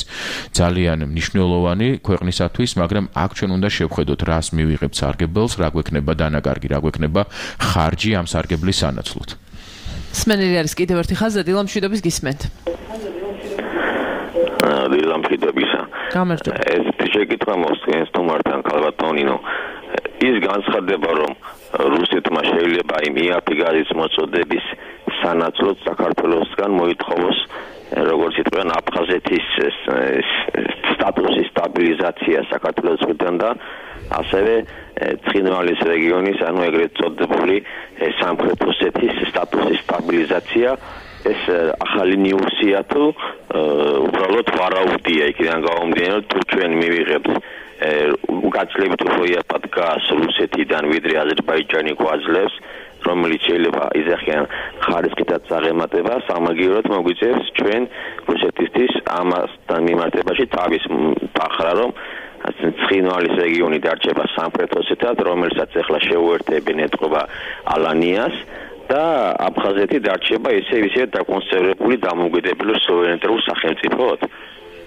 ძალიან მნიშვნელოვანი ქვეყნისათვის, მაგრამ აქ ჩვენ უნდა შევხედოთ, რას მივიღებთ სარგებელს, რა გვექნება დანაკარგი, რა გვექნება ხარჯი ამ სარგებლის სანაცვლოდ.
სმენელი არის კიდევ ერთი ხაზი, დილამშვიდობის გისმენთ.
დილამშვიდობისა.
გამარჯობა.
ეს შეკითხვა მოსწონს თუმართან ქალბატონინო. ის განცხადება, რომ რუსეთმა შეიძლება იმ იაფი გაზის მოწოდების სანაცვლოდ საქართველოსგან მოითხოვოს როგორც იტყვიან აფხაზეთის სტატუსის სტაბილიზაცია საქართველოს მხრიდან და ასევე ცხინვალის რეგიონის, ანუ ეგრეთ წოდებული სამხრეთ ოსეთის სტატუსის სტაბილიზაცია ეს ახალი ნიუსია თუ უბრალოდ ვარაუდია იქიდან გამომდინარე თუ ჩვენ მივიღებთ უკაცლებით უფრო იაფად გას რუსეთიდან ვიდრე აზერბაიჯანი გვაძლევს რომელიც შეიძლება იზახიან ხარისხითაც აღემატება სამაგიეროდ მოგვიწევს ჩვენ რუსეთისთვის ამასთან მიმართებაში თავის დახრა რომ ცხინვალის რეგიონი დარჩება სამხრეთ ოსეთად რომელსაც ახლა შეუერთებენ ეთყობა ალანიას და აფხაზეთი დარჩება ისე ისე დაკონსერვებული დამოუკიდებელი სუვერენიტეტულ სახელმწიფოდ.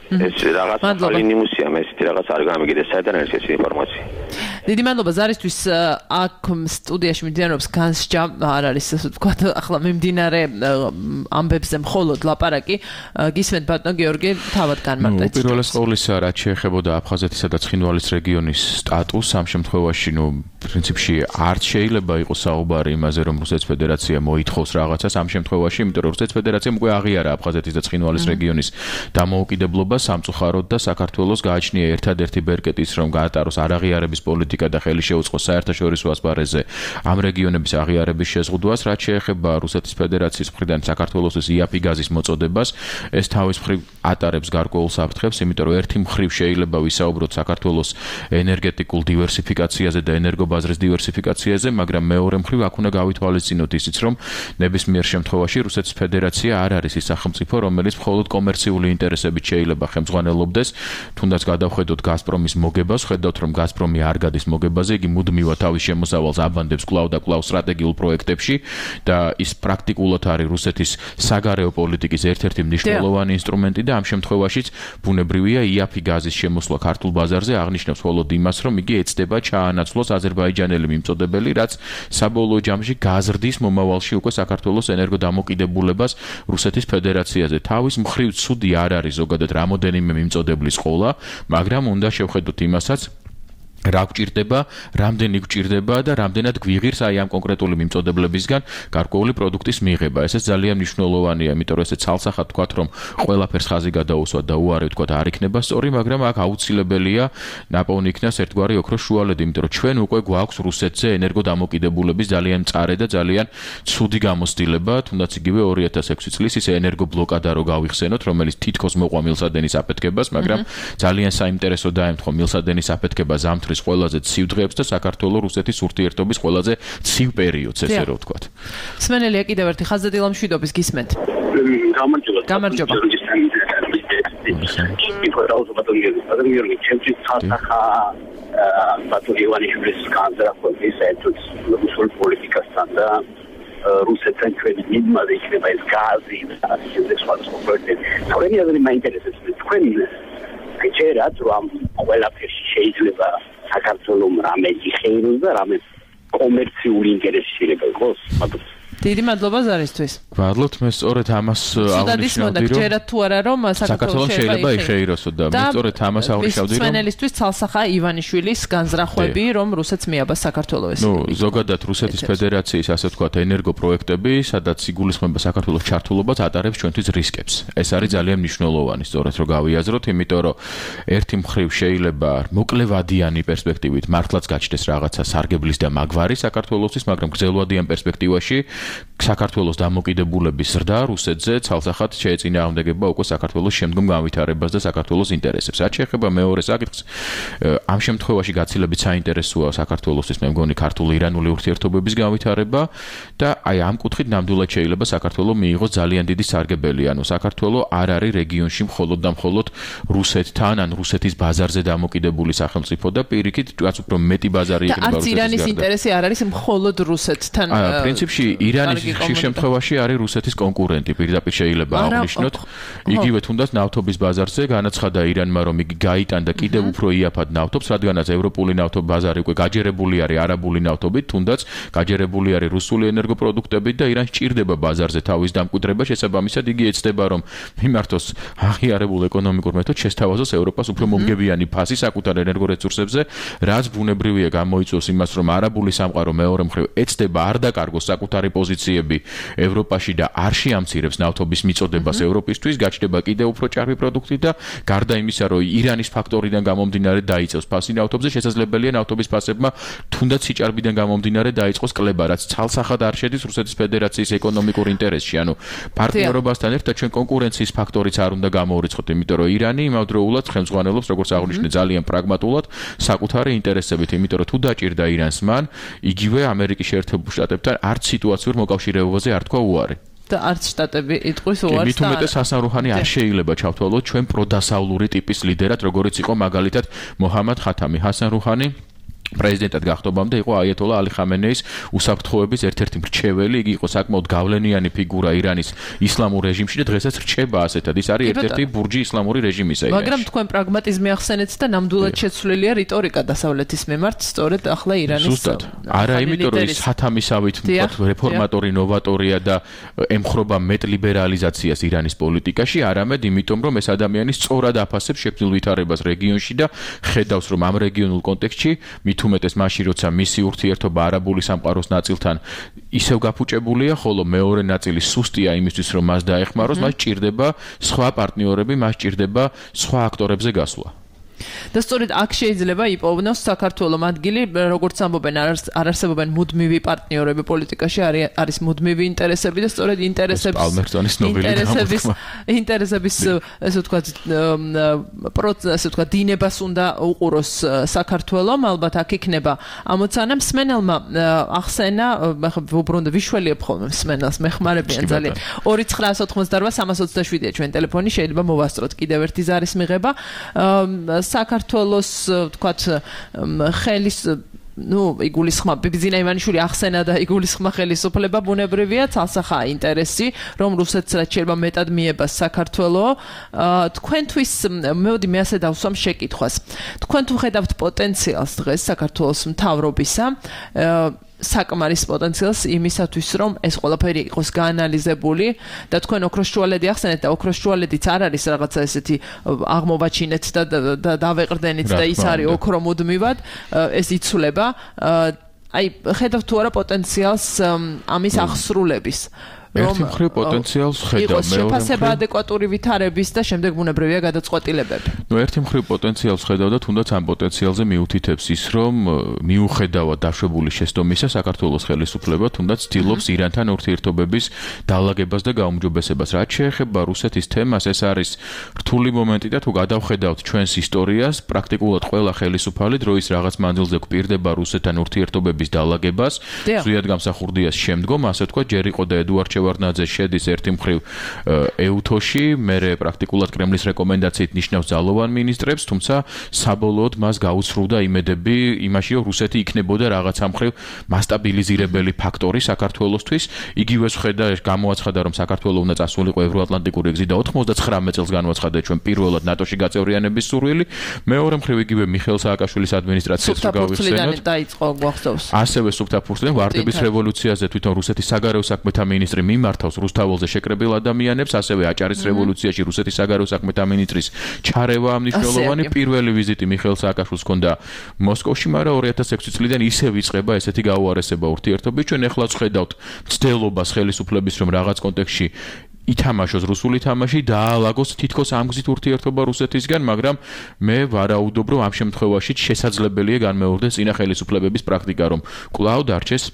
ეს რაღაც ახალი ნიუსია, მე ისეთი რაღაც არ გამიგდეს საიდან არის ეს ინფორმაცია.
დიდი მადლობა ზარისთვის აქ სტუდიაში მიმდინარეობს განსჯა არ არის ასე ვთქვათ ახლა მიმდინარე ამბებზე მხოლოდ ლაპარაკი გისმენთ ბატონო გიორგი თავად განმარტეთ.
უპირველეს ყოვლისა რაც შეეხებოდა აფხაზეთისა და ცხინვალის რეგიონის სტატუსს ამ შემთხვევაში ნუ პრინციპში არც შეიძლება იყოს საუბარი იმაზე რომ რუსეთის ფედერაცია მოითხოვს რაღაცას ამ შემთხვევაში იმიტომ რომ რუსეთის ფედერაციამ უკვე აღიარა აფხაზეთის და ცხინვალის რეგიონის დამოუკიდებლობა სამწუხაროდ და საქართველოს გააჩნია ერთადერთი ბერკეტი ის რომ გაატაროს არაღიარების პოლიტიკა და ხელი შეუწყოს საერთაშორისო ასპარეზზე ამ რეგიონების აღიარების შეზღუდვას რაც შეეხება რუსეთის ფედერაციის მხრიდან საქართველოს იაფი გაზის მოწოდებას ეს თავის მხრივ ატარებს გარკვეულ საფრთხებს იმიტომ რომ ერთი მხრივ შეიძლება ვისაუბროთ საქართველოს ენერგეტიკულ დივერსიფიკაციაზე და ენერგობაზრის დივერსიფიკაციაზე მაგრამ მეორე მხრივ აქ უნდა გავითვალისწინოთ ისიც რომ ნებისმიერ შემთხვევაში რუსეთის ფედერაცია არ არის ის სახელმწიფო რომელიც მხოლოდ კომერციული ინტერესებით შეიძლება ხელმძღვანელობდეს თუნდაც გადავხედოთ გაზპრომის მოგებას ხედავთ რომ გაზპრომი არ გადის მოგებაზე იგი მუდმივად თავის შემოსავალს აბანდებს კვლავ და კვლავ სტრატეგიულ პროექტებში და ის პრაქტიკულად არის რუსეთის საგარეო პოლიტიკის ერთ-ერთი მნიშვნელოვანი ინსტრუმენტი და ამ შემთხვევაშიც ბუნებრივია იაფი გაზის შემოსვლა ქართულ ბაზარზე აღნიშნავს მხოლოდ იმას რომ იგი ეცდება ჩაანაცვლოს აზერბაიჯანის აზერბაიჯანელი მიმწოდებელი, რაც საბოლოო ჯამში გაზრდის მომავალში უკვე საქართველოს ენერგოდამოკიდებულებას რუსეთის ფედერაციაზე. თავის მხრივ ცუდი არ არის ზოგადად რამოდენიმე მიმწოდებლის ყოლა, მაგრამ უნდა შევხედოთ იმასაც რა გვჭირდება, რამდენი გვჭირდება და რამდენად გვიღირს აი ამ კონკრეტული მიმწოდებლებისგან გარკვეული პროდუქტის მიღება. ესეც ძალიან მნიშვნელოვანია, იმიტომ რომ ესე ცალსახად თქვათ, რომ ყველაფერს ხაზი გადაუსვათ და უარი ვთქვათ არ იქნება სწორი, მაგრამ აქ აუცილებელია ნაპოვნი იქნას ერთგვარი ოქროს შუალედი, იმიტომ რომ ჩვენ უკვე გვაქვს რუსეთზე ენერგოდამოკიდებულების ძალიან მწარე და ძალიან ცუდი გამოცდილება, თუნდაც იგივე ორი ათას ექვსი წლის ის ენერგობლოკადა რო გავიხსენოთ, რომელიც თითქოს მოყვა მილსადენის აფეთქებას, მაგრამ ძალიან საინტერესო დაემთხვა მილსადენის აფეთქება ზამთრის ყველაზე ცივ დღეებს და საქართველოს რუსეთის ურთიერთობის ყველაზე ცივ პერიოდს, ესე რომ ვთქვათ.
სმენელია კიდევ ერთი ხაზადილა მშვიდობის გისმენთ.
გამარჯობა.
გამარჯობა.
ბატონი ივანიშვილის განზრახვის საერთოდ რუსულ პოლიტიკასთან და რუსეთთან ჩვენი მიღმაზე იქნება ეს გაზი და ისე სხვადასხვა პროექტები. თორემ აზრი მაინტერესებს თქვენი ეჭერათ რომ ყველაფერში შეიძლება საქართველოს რამე იხეიროს და რამე კომერციული ინტერესი შეიძლება იყოს.
დიდი მადლობა ზარისთვის.
მადლობთ, მე სწორედ ამას
აღნიშნავდი, რომ ჯერათ თუ არა რომ საქართველოს
შეიძლება იხეიროსო და მე სწორედ ამას აღნიშნავდი, რომ
სმენელისთვის ცალსახა ივანიშვილის განზრახვები, რომ რუსეთს მიაბას საქართველოს.
ნუ ზოგადად რუსეთის ფედერაციის ასე ვთქვათ ენერგოპროექტები, სადაც იგულისხმება საქართველოს ჩართულობას ატარებს ჩვენთვის რისკებს. ეს არის ძალიან მნიშვნელოვანი, სწორედ რომ გავიაზროთ, იმიტომ რომ ერთი მხრივ შეიძლება მოკლევადიანი პერსპექტივით მართლაც გაჩნდეს რაღაცა სარგებლის და მაგვარი საქართველოსთვის, მაგრამ გრძელვადიან პერსპექტივაში საქართველოს დამოკიდებულების ზრდა რუსეთზე ცალსახად შეეწინააღმდეგება უკვე საქართველოს შემდგომ განვითარებას და საქართველოს ინტერესებს. რაც შეეხება მეორე საკითხს, ამ შემთხვევაში გაცილებით საინტერესოა საქართველოსთვის მე მგონი ქართულ-ირანული ურთიერთობების განვითარება და აი ამ კუთხით ნამდვილად შეიძლება საქართველოს მიიღოს ძალიან დიდი სარგებელი. ანუ საქართველოს არ არის რეგიონში მხოლოდ და მხოლოდ რუსეთთან ან რუსეთის ბაზარზე დამოკიდებული სახელმწიფო და პირიქით რაც უფრო მეტი ბაზარი იქნება
რუსეთის გარდა. და არც ირანის ინტერესი არ არის მხოლოდ რუსეთთან.
აა პრინციპში ირანის ხშირ შემთხვევაში არის რუსეთის კონკურენტი, პირდაპირ შეიძლება აღნიშნოთ. იგივე თუნდაც ნავთობის ბაზარზე განაცხადა ირანმა, რომ იგი გაიტანდა კიდევ უფრო იაფად ნავთობს, რადგანაც ევროპული ნავთობის ბაზარი უკვე გაჯერებული არის არაბული ნავთობით, თუნდაც გაჯერებული არის რუსული ენერგოპროდუქტებით და ირანს ჭირდება ბაზარზე თავის დამკვიდრება, შესაბამისად იგი ეცდება, რომ მიმართოს აღიარებულ ეკონომიკურ მეთოდს, შესთავაზოს ევროპას უფრო მომგებიანი ფასი საკუთარ ენერგორესურსებზე, რაც ბუნებრივია გამოიწვევს იმას, რომ არაბული სამყარო მეორე მხრივ ეცდება არ დაკარგოს საკუთარი პოზიციები ევროპაში და არ შეამცირებს ნავთობის მიწოდებას ევროპისთვის, გაჩნდება კიდევ უფრო ჭარბი პროდუქტი და გარდა იმისა, რომ ირანის ფაქტორიდან გამომდინარე დაიწევს ფასი ნავთობზე, შესაძლებელია ნავთობის ფასებმა თუნდაც სიჭარბიდან გამომდინარე დაიწყოს კლება, რაც ცალსახად არ შედის რუსეთის ფედერაციის ეკონომიკურ ინტერესში. ანუ პარტნიორობასთან ერთად ჩვენ კონკურენციის ფაქტორიც არ უნდა გამოვრიცხოთ, იმიტომ რომ ირანი იმავდროულად ხელმძღვანელობს, როგორც აღნიშნე, ძალიან პრაგმატულად საკუთარი ინტერესებით, იმიტომ რომ თუ დაჭირდა ირანს მან, იგივე ამერიკის შეერთებულ შტატებთან არც სიტუაციურ მოკავშირეობაზე არ თქვა უარი.
და არც შტატები იტყვის უარს.
მით უმეტეს ჰასან რუჰანი არ შეიძლება ჩავთვალოთ ჩვენ პროდასავლური ტიპის ლიდერად, როგორიც იყო მაგალითად მოჰამად ხათამი. ჰასან რუჰანი პრეზიდენტად გახდომამდე იყო აიათოლა ალი ხამენეის უსაფრთხოების ერთ-ერთი მრჩეველი, იგი იყო საკმაოდ გავლენიანი ფიგურა ირანის ისლამურ რეჟიმში და დღესაც რჩება ასეთად. ის არის ერთ-ერთი ბურჯი ისლამური რეჟიმისა.
მაგრამ თქვენ პრაგმატიზმი ახსენეთ და ნამდვილად შეცვლილია რიტორიკა დასავლეთის მიმართ, სწორედ ახლა ირანის.
ზუსტად. არა, იმიტომ რომ ის ჰათამისავით ვთქვათ რეფორმატორი, ნოვატორია და ემხრობა მეტ ლიბერალიზაციას ირანის პოლიტიკაში, არამედ იმიტომ რომ ეს ადამიანი სწორად აფასებს შექმნილ ვითარებას რეგიონში და ხედავს რომ ამ რეგიონულ კონტექსტში თუ მეტეს მაშინ როცა მისი ურთიერთობა არაბული სამყაროს ნაწილთან ისევ გაფუჭებულია, ხოლო მეორე ნაწილი სუსტია იმისთვის, რომ მას დაეხმაროს, მას ჭირდება სხვა პარტნიორები, მას ჭირდება სხვა აქტორებზე გასვლა.
და სწორედ აქ შეიძლება იპოვნოს საქართველოს ადგილი, როგორც ამბობენ, არ არსებობენ მუდმივი პარტნიორები პოლიტიკაში, არის მუდმივი ინტერესები და სწორედ ინტერესების ინტერესების ინტერესების ესე ვთქვათ პროცესს, ესე ვთქვათ, დინებას უნდა უყუროს საქართველოს, ალბათ აქ იქნება ამოცანა. მსმენელმა ახსენა, ვუბრუნდე ვიშველიებ ხოლმე მსმენელს, მეხმარებიან ძალიან. ორი ცხრაას ოთხმოცდაოთხ სამას ოცდაშვიდია ჩვენ ტელეფონი, შეიძლება მოვასწროთ კიდევ ერთი ზარის მიღება. საქართველოს ვთქვათ ხელის ნუ იგულისხმა ბიბზინა ივანიშვილი ახსენა და იგულისხმა ხელისუფლება ბუნებრივია ცალსახაა ინტერესი რომ რუსეთს რაც შეიძლება მეტად მიებას საქართველო თქვენთვის მეოდი მე ასე დავსვამ შეკითხვას თქვენ თუ ხედავთ პოტენციალს დღეს საქართველოს მთავრობისა საკმარის პოტენციალს იმისათვის რომ ეს ყველაფერი იყოს გაანალიზებული და თქვენ ოქროს შუალედი ახსენეთ და ოქროს შუალედიც არ არის რაღაცა ესეთი აღმოვაჩინეთ და დავეყრდენით და ის არის ოქრო მუდმივად ეს იცვლება აი ხედავთ თუ არა პოტენციალს ამის აღსრულების
ერთი მხრივ პოტენციალს ხედავ მეორე
შეფასება ადეკვატური ვითარების და შემდეგ ბუნებრივია გადაწყვეტილებები.
ნუ ერთი მხრივ პოტენციალს ხედავ და თუნდაც ამ პოტენციალზე მიუთითებს ის რომ მიუხედავად დაშვებული შეცდომისა საქართველოს ხელისუფლება თუნდაც ცდილობს ირანთან ურთიერთობების დაალაგებას და გაუმჯობესებას. რაც შეეხება რუსეთის თემას ეს არის რთული მომენტი და თუ გადავხედავთ ჩვენს ისტორიას პრაქტიკულად ყველა ხელისუფალი დროის რაღაც მანძილზე გვპირდება რუსეთთან ურთიერთობების დაალაგებას. ზუსტად გამსახურდიას შემდგომ ასე თქვა ჯერ იყო და ედუარდ შევარდნაძე შედის ერთი მხრივ ეუთოში, მერე პრაქტიკულად კრემლის რეკომენდაციით ნიშნავს ძალოვან მინისტრებს, თუმცა საბოლოოდ მას გაუცრუდა იმედები იმაში, რომ რუსეთი იქნებოდა რაღაცა მხრივ მასტაბილიზირებელი ფაქტორი საქართველოსთვის. იგივე ხედა გამოაცხადა, რომ საქართველოს უნდა წასულიყო ევროატლანტიკური გზით და ოცდათხმეტ წელს განაცხადა ჩვენ პირველად ნატოში გაწევრიანების სურვილი. მეორე მხრივ იგივე მიხეილ სააკაშვილის ადმინისტრაციას რო გავიხსენოთ.
დაიწყო გვახსოვს.
ასევე სუფთაფურთლიდან ვარდების რევოლუციაზე თვითონ რუსეთის საგარეო საქმეთა მინისტრი მიმართავს რუსთაველზე შეკრებილ ადამიანებს, ასევე აჭარის რევოლუციაში რუსეთის საგარეო საქმეთა მინისტრის ჩარევა მნიშვნელოვანი პირველი ვიზიტი მიხეილ სააკაშვილს ჰქონდა მოსკოვში, მაგრამ ორი ათას ექვსი წლიდან ისევ იწყება ესეთი გაუარესება ურთიერთობები. ჩვენ ეხლაც ხედავთ მცდელობას ხელისუფლების რომ რაღაც კონტექსტში ითამაშოს რუსული თამაში და აალაგოს თითქოს ამ გზით ურთიერთობა რუსეთისგან, მაგრამ მე ვარაუდობ, რომ ამ შემთხვევაში შესაძლებელია განმეორდეს წინა ხელისუფლებების პრაქტიკა, რომ კვლავ დარჩეს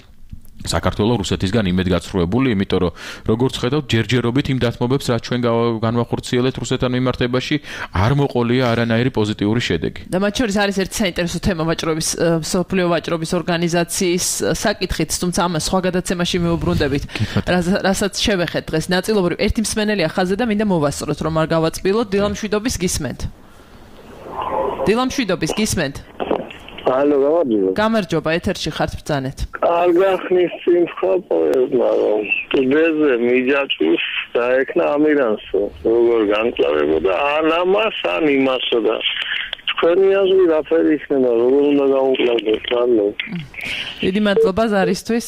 საქართველოს რუსეთისგან იმედგაცრუებული, იმიტომ რომ როგორც ხედავთ, ჯერჯერობით იმ დათმობებს, რაც ჩვენ განვახორციელებთ რუსეთთან მიმართებაში, არ მოყოლია არანაირი პოზიტიური შედეგი.
და მათ შორის არის ერთი საინტერესო თემა ვაჭრობის სოფლიო ვაჭრობის ორგანიზაციის საკითხით, თუმცა ამას სხვა გადაცემაში მივუბრუნდებით. რასაც შევეხეთ დღეს ნაწილობრივ ერთი მსმენელია ხაზზე და მინდა მოვასწროთ, რომ არ გავაწბილოთ. დილამშვიდობის გისმენთ. დილამშვიდობის გისმენთ.
ალო, გამარჯობა.
გამარჯობა, ეთერში ხართ ბრძანეთ.
კარგა ხნის სიმხა პოეზმა რომ ტუდეზე მიჯაჭვის დაეკნა ამირანსო, როგორ განკლავებოდა ან ამას ან იმასო და თქვენი აზრი რაფერი იქნება, როგორ უნდა გამოვკლავდეს, ალო.
დიდი მადლობა ზარისთვის.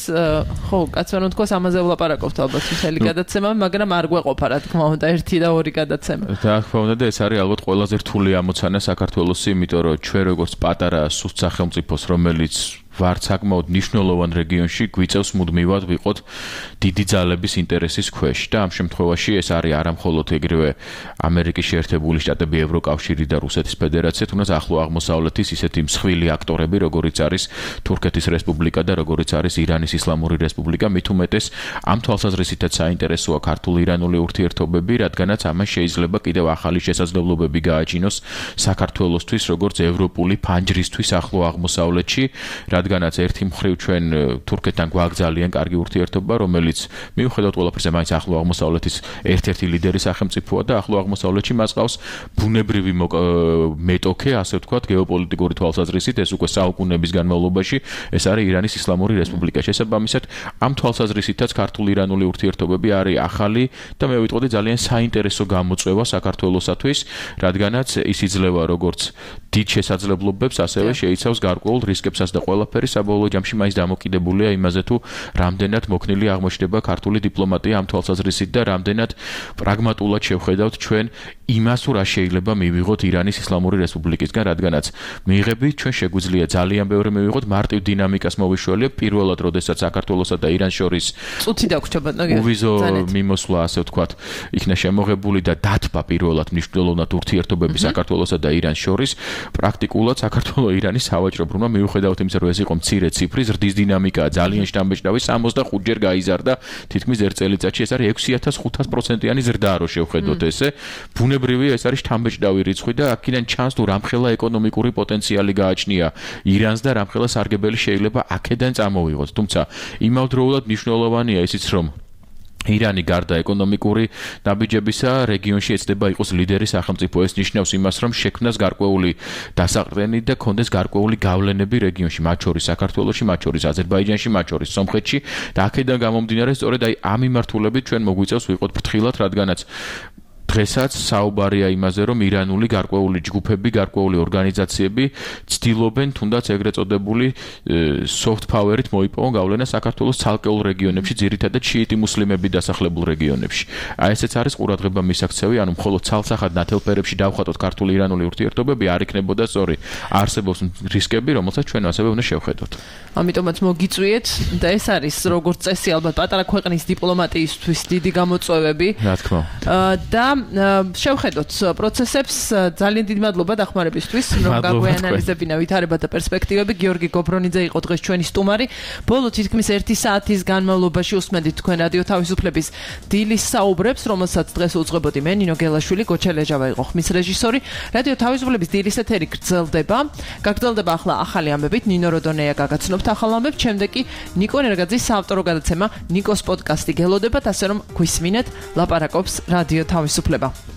ხო, კაცო რომ თქოს ამაზე ვლაპარაკობთ ალბათ მთელი გადაცემა, მაგრამ არ გვეყოფა რა თქმა უნდა ერთი და ორი გადაცემა.
რა თქმა უნდა და ეს არის ალბათ ყველაზე რთული ამოცანა საქართველოსი, იმიტომ რომ ჩვენ როგორც პატარა სუსტ სახელმწიფოს, რომელიც ვართ საკმაოდ მნიშვნელოვან რეგიონში გვიწევს მუდმივად ვიყოთ დიდი ძალების ინტერესის ქვეშ და ამ შემთხვევაში ეს არის არა მხოლოდ ეგრევე ამერიკის შეერთებული შტატები, ევროკავშირი და რუსეთის ფედერაცია, თუნდაც ახლო აღმოსავლეთის ისეთი მსხვილი აქტორები, როგორიც არის თურქეთის რესპუბლიკა და როგორიც არის ირანის ისლამური რესპუბლიკა, მით უმეტეს ამ თვალსაზრისითაც საინტერესოა ქართულ-ირანული ურთიერთობები, რადგანაც ამას შეიძლება კიდევ ახალი შესაძლებლობები გააჩინოს საქართველოსთვის, როგორც ევროპული ფანჯრისთვის ახლო აღმოსავლეთში, რადგანაც ერთი მხრივ ჩვენ თურქეთთან გვაქვს ძალიან კარგი ურთიერთობა, რომელიც მიუხედავად ყველაფერისა მაინც ახლო აღმოსავლეთის ერთ-ერთი ლიდერი სახელმწიფოა და ახლო აღმოსავლეთში მას ყავს ბუნებრივი მეტოქე, ასე ვთქვათ, გეოპოლიტიკური თვალსაზრისით, ეს უკვე საუკუნეების განმავლობაში ეს არის ირანის ისლამური რესპუბლიკა. შესაბამისად, ამ თვალსაზრისითაც ქართულ-ირანული ურთიერთობები არის ახალი და მე ვიტყოდი ძალიან საინტერესო გამოწვევა საქართველოსათვის, რადგანაც ის იძლევა როგორც დიდ შესაძლებლობებს, ასევე შეიცავს გარკვეულ რისკებსაც და ყველაფერი საბოლოო ჯამში მაინც დამოკიდებულია იმაზე, თუ რამდენად მოქნილი აღმოჩნდება ქართული დიპლომატია ამ თვალსაზრისით და რამდენად პრაგმატულად შევხედავთ ჩვენ იმას, თუ რა შეიძლება მივიღოთ ირანის ისლამური რესპუბლიკისგან, რადგანაც მიიღებით ჩვენ შეგვიძლია ძალიან ბევრი მივიღოთ, მარტივ დინამიკას მოვიშველიებ, პირველად როდესაც საქართველოსა და ირანს შორის
წუთი დაგვრჩება, ნაგე.
უვიზო მიმოსვლა, ასე ვთქვათ, იქნა შემოღებული და დათბა პირველად მნიშვნელოვნად ურთიერთობები საქართველოსა და ირანს შორის, პრაქტიკულად საქართველო-ირანის სავაჭრო ბრუნვა მიუხედავად იმისა, რომ ეს იყო მცირე ციფრი, ზრდის დინამიკაა ძალიან შთამბეჭდავი, სამოცდახუთჯერ გაიზარდა, თითქმის ერთ წელიწადში ეს არის ექვსი ათას ხუთას პროცენტიანი ზრდა, რო შევხედოთ ესე. ბუნებრივია ეს არის შთამბეჭდავი რიცხვი და აქედან ჩანს, თუ რამხელა ეკონომიკური პოტენციალი გააჩნია ირანს და რამხელა სარგებელი შეიძლება აქედან წამოვიღოს. თუმცა იმავდროულად მნიშვნელოვანია ისიც, რომ ირანი გარდა ეკონომიკური ნაბიჯებისა რეგიონში ეცდება იყოს ლიდერი სახელმწიფო. ეს ნიშნავს იმას, რომ შექმნას გარკვეული დასაყრდენი და კონდეს გარკვეული გავლენები რეგიონში, მათ შორის საქართველოში, მათ შორის აზერბაიჯანში, მათ შორის სომხეთში და აქედან გამომდინარე, სწორედ აი ამ მიმართულებით ჩვენ მოგვიწევს ვიყოთ ფრთხილად, რადგანაც დღესაც საუბარია იმაზე, რომ ირანული გარკვეული ჯგუფები, გარკვეული ორგანიზაციები ცდილობენ თუნდაც ეგრეთ წოდებული soft power-ით მოიპოვონ გავლენა საქართველოს ცალკეულ რეგიონებში, ძირითადად შიიტი მუსლიმები დასახლებულ რეგიონებში. აი ესეც არის ყურადღება მისაქცევი, ანუ მხოლოდ ცალსახად ნათელფერებში დავხატოთ ქართულ-ირანული ურთიერთობები არ იქნებოდა სწორი. არსებობს რისკები, რომელსაც ჩვენ ასევე უნდა შევხედოთ.
ამიტომაც მოგიწვიეთ და ეს არის როგორც წესი ალბათ პატარა ქვეყნის დიპლომატიისთვის დიდი გამოწვევები.
რა თქმა
უნდა. და შევხედოთ პროცესებს. ძალიან დიდი მადლობა დახმარებისთვის, რომ გაგვეანალიზებინა ვითარება და პერსპექტივები. გიორგი გობრონიძე იყო დღეს ჩვენი სტუმარი. ბოლო თითქმის ერთი საათის განმავლობაში უსმენდით თქვენ რადიო თავისუფლების დილის საუბრებს, რომელსაც დღეს უძღვებოდი მე, ნინო გელაშვილი, გოჩელეჟავა იყო ხმის რეჟისორი. რადიო თავისუფლების დილის ეთერი გრძელდება. გაგრძელდება ახლა ახალი ამბებით. ნინო როდონეა გაგაცნობთ ახალ ამბებს. შემდეგ კი ნიკო ნერგაძის საავტორო გადაცემა ნიკოს პოდკასტი გელოდებათ, ასე რომ გვისმინეთ ლაპარაკობს რადიო თავისუფლება.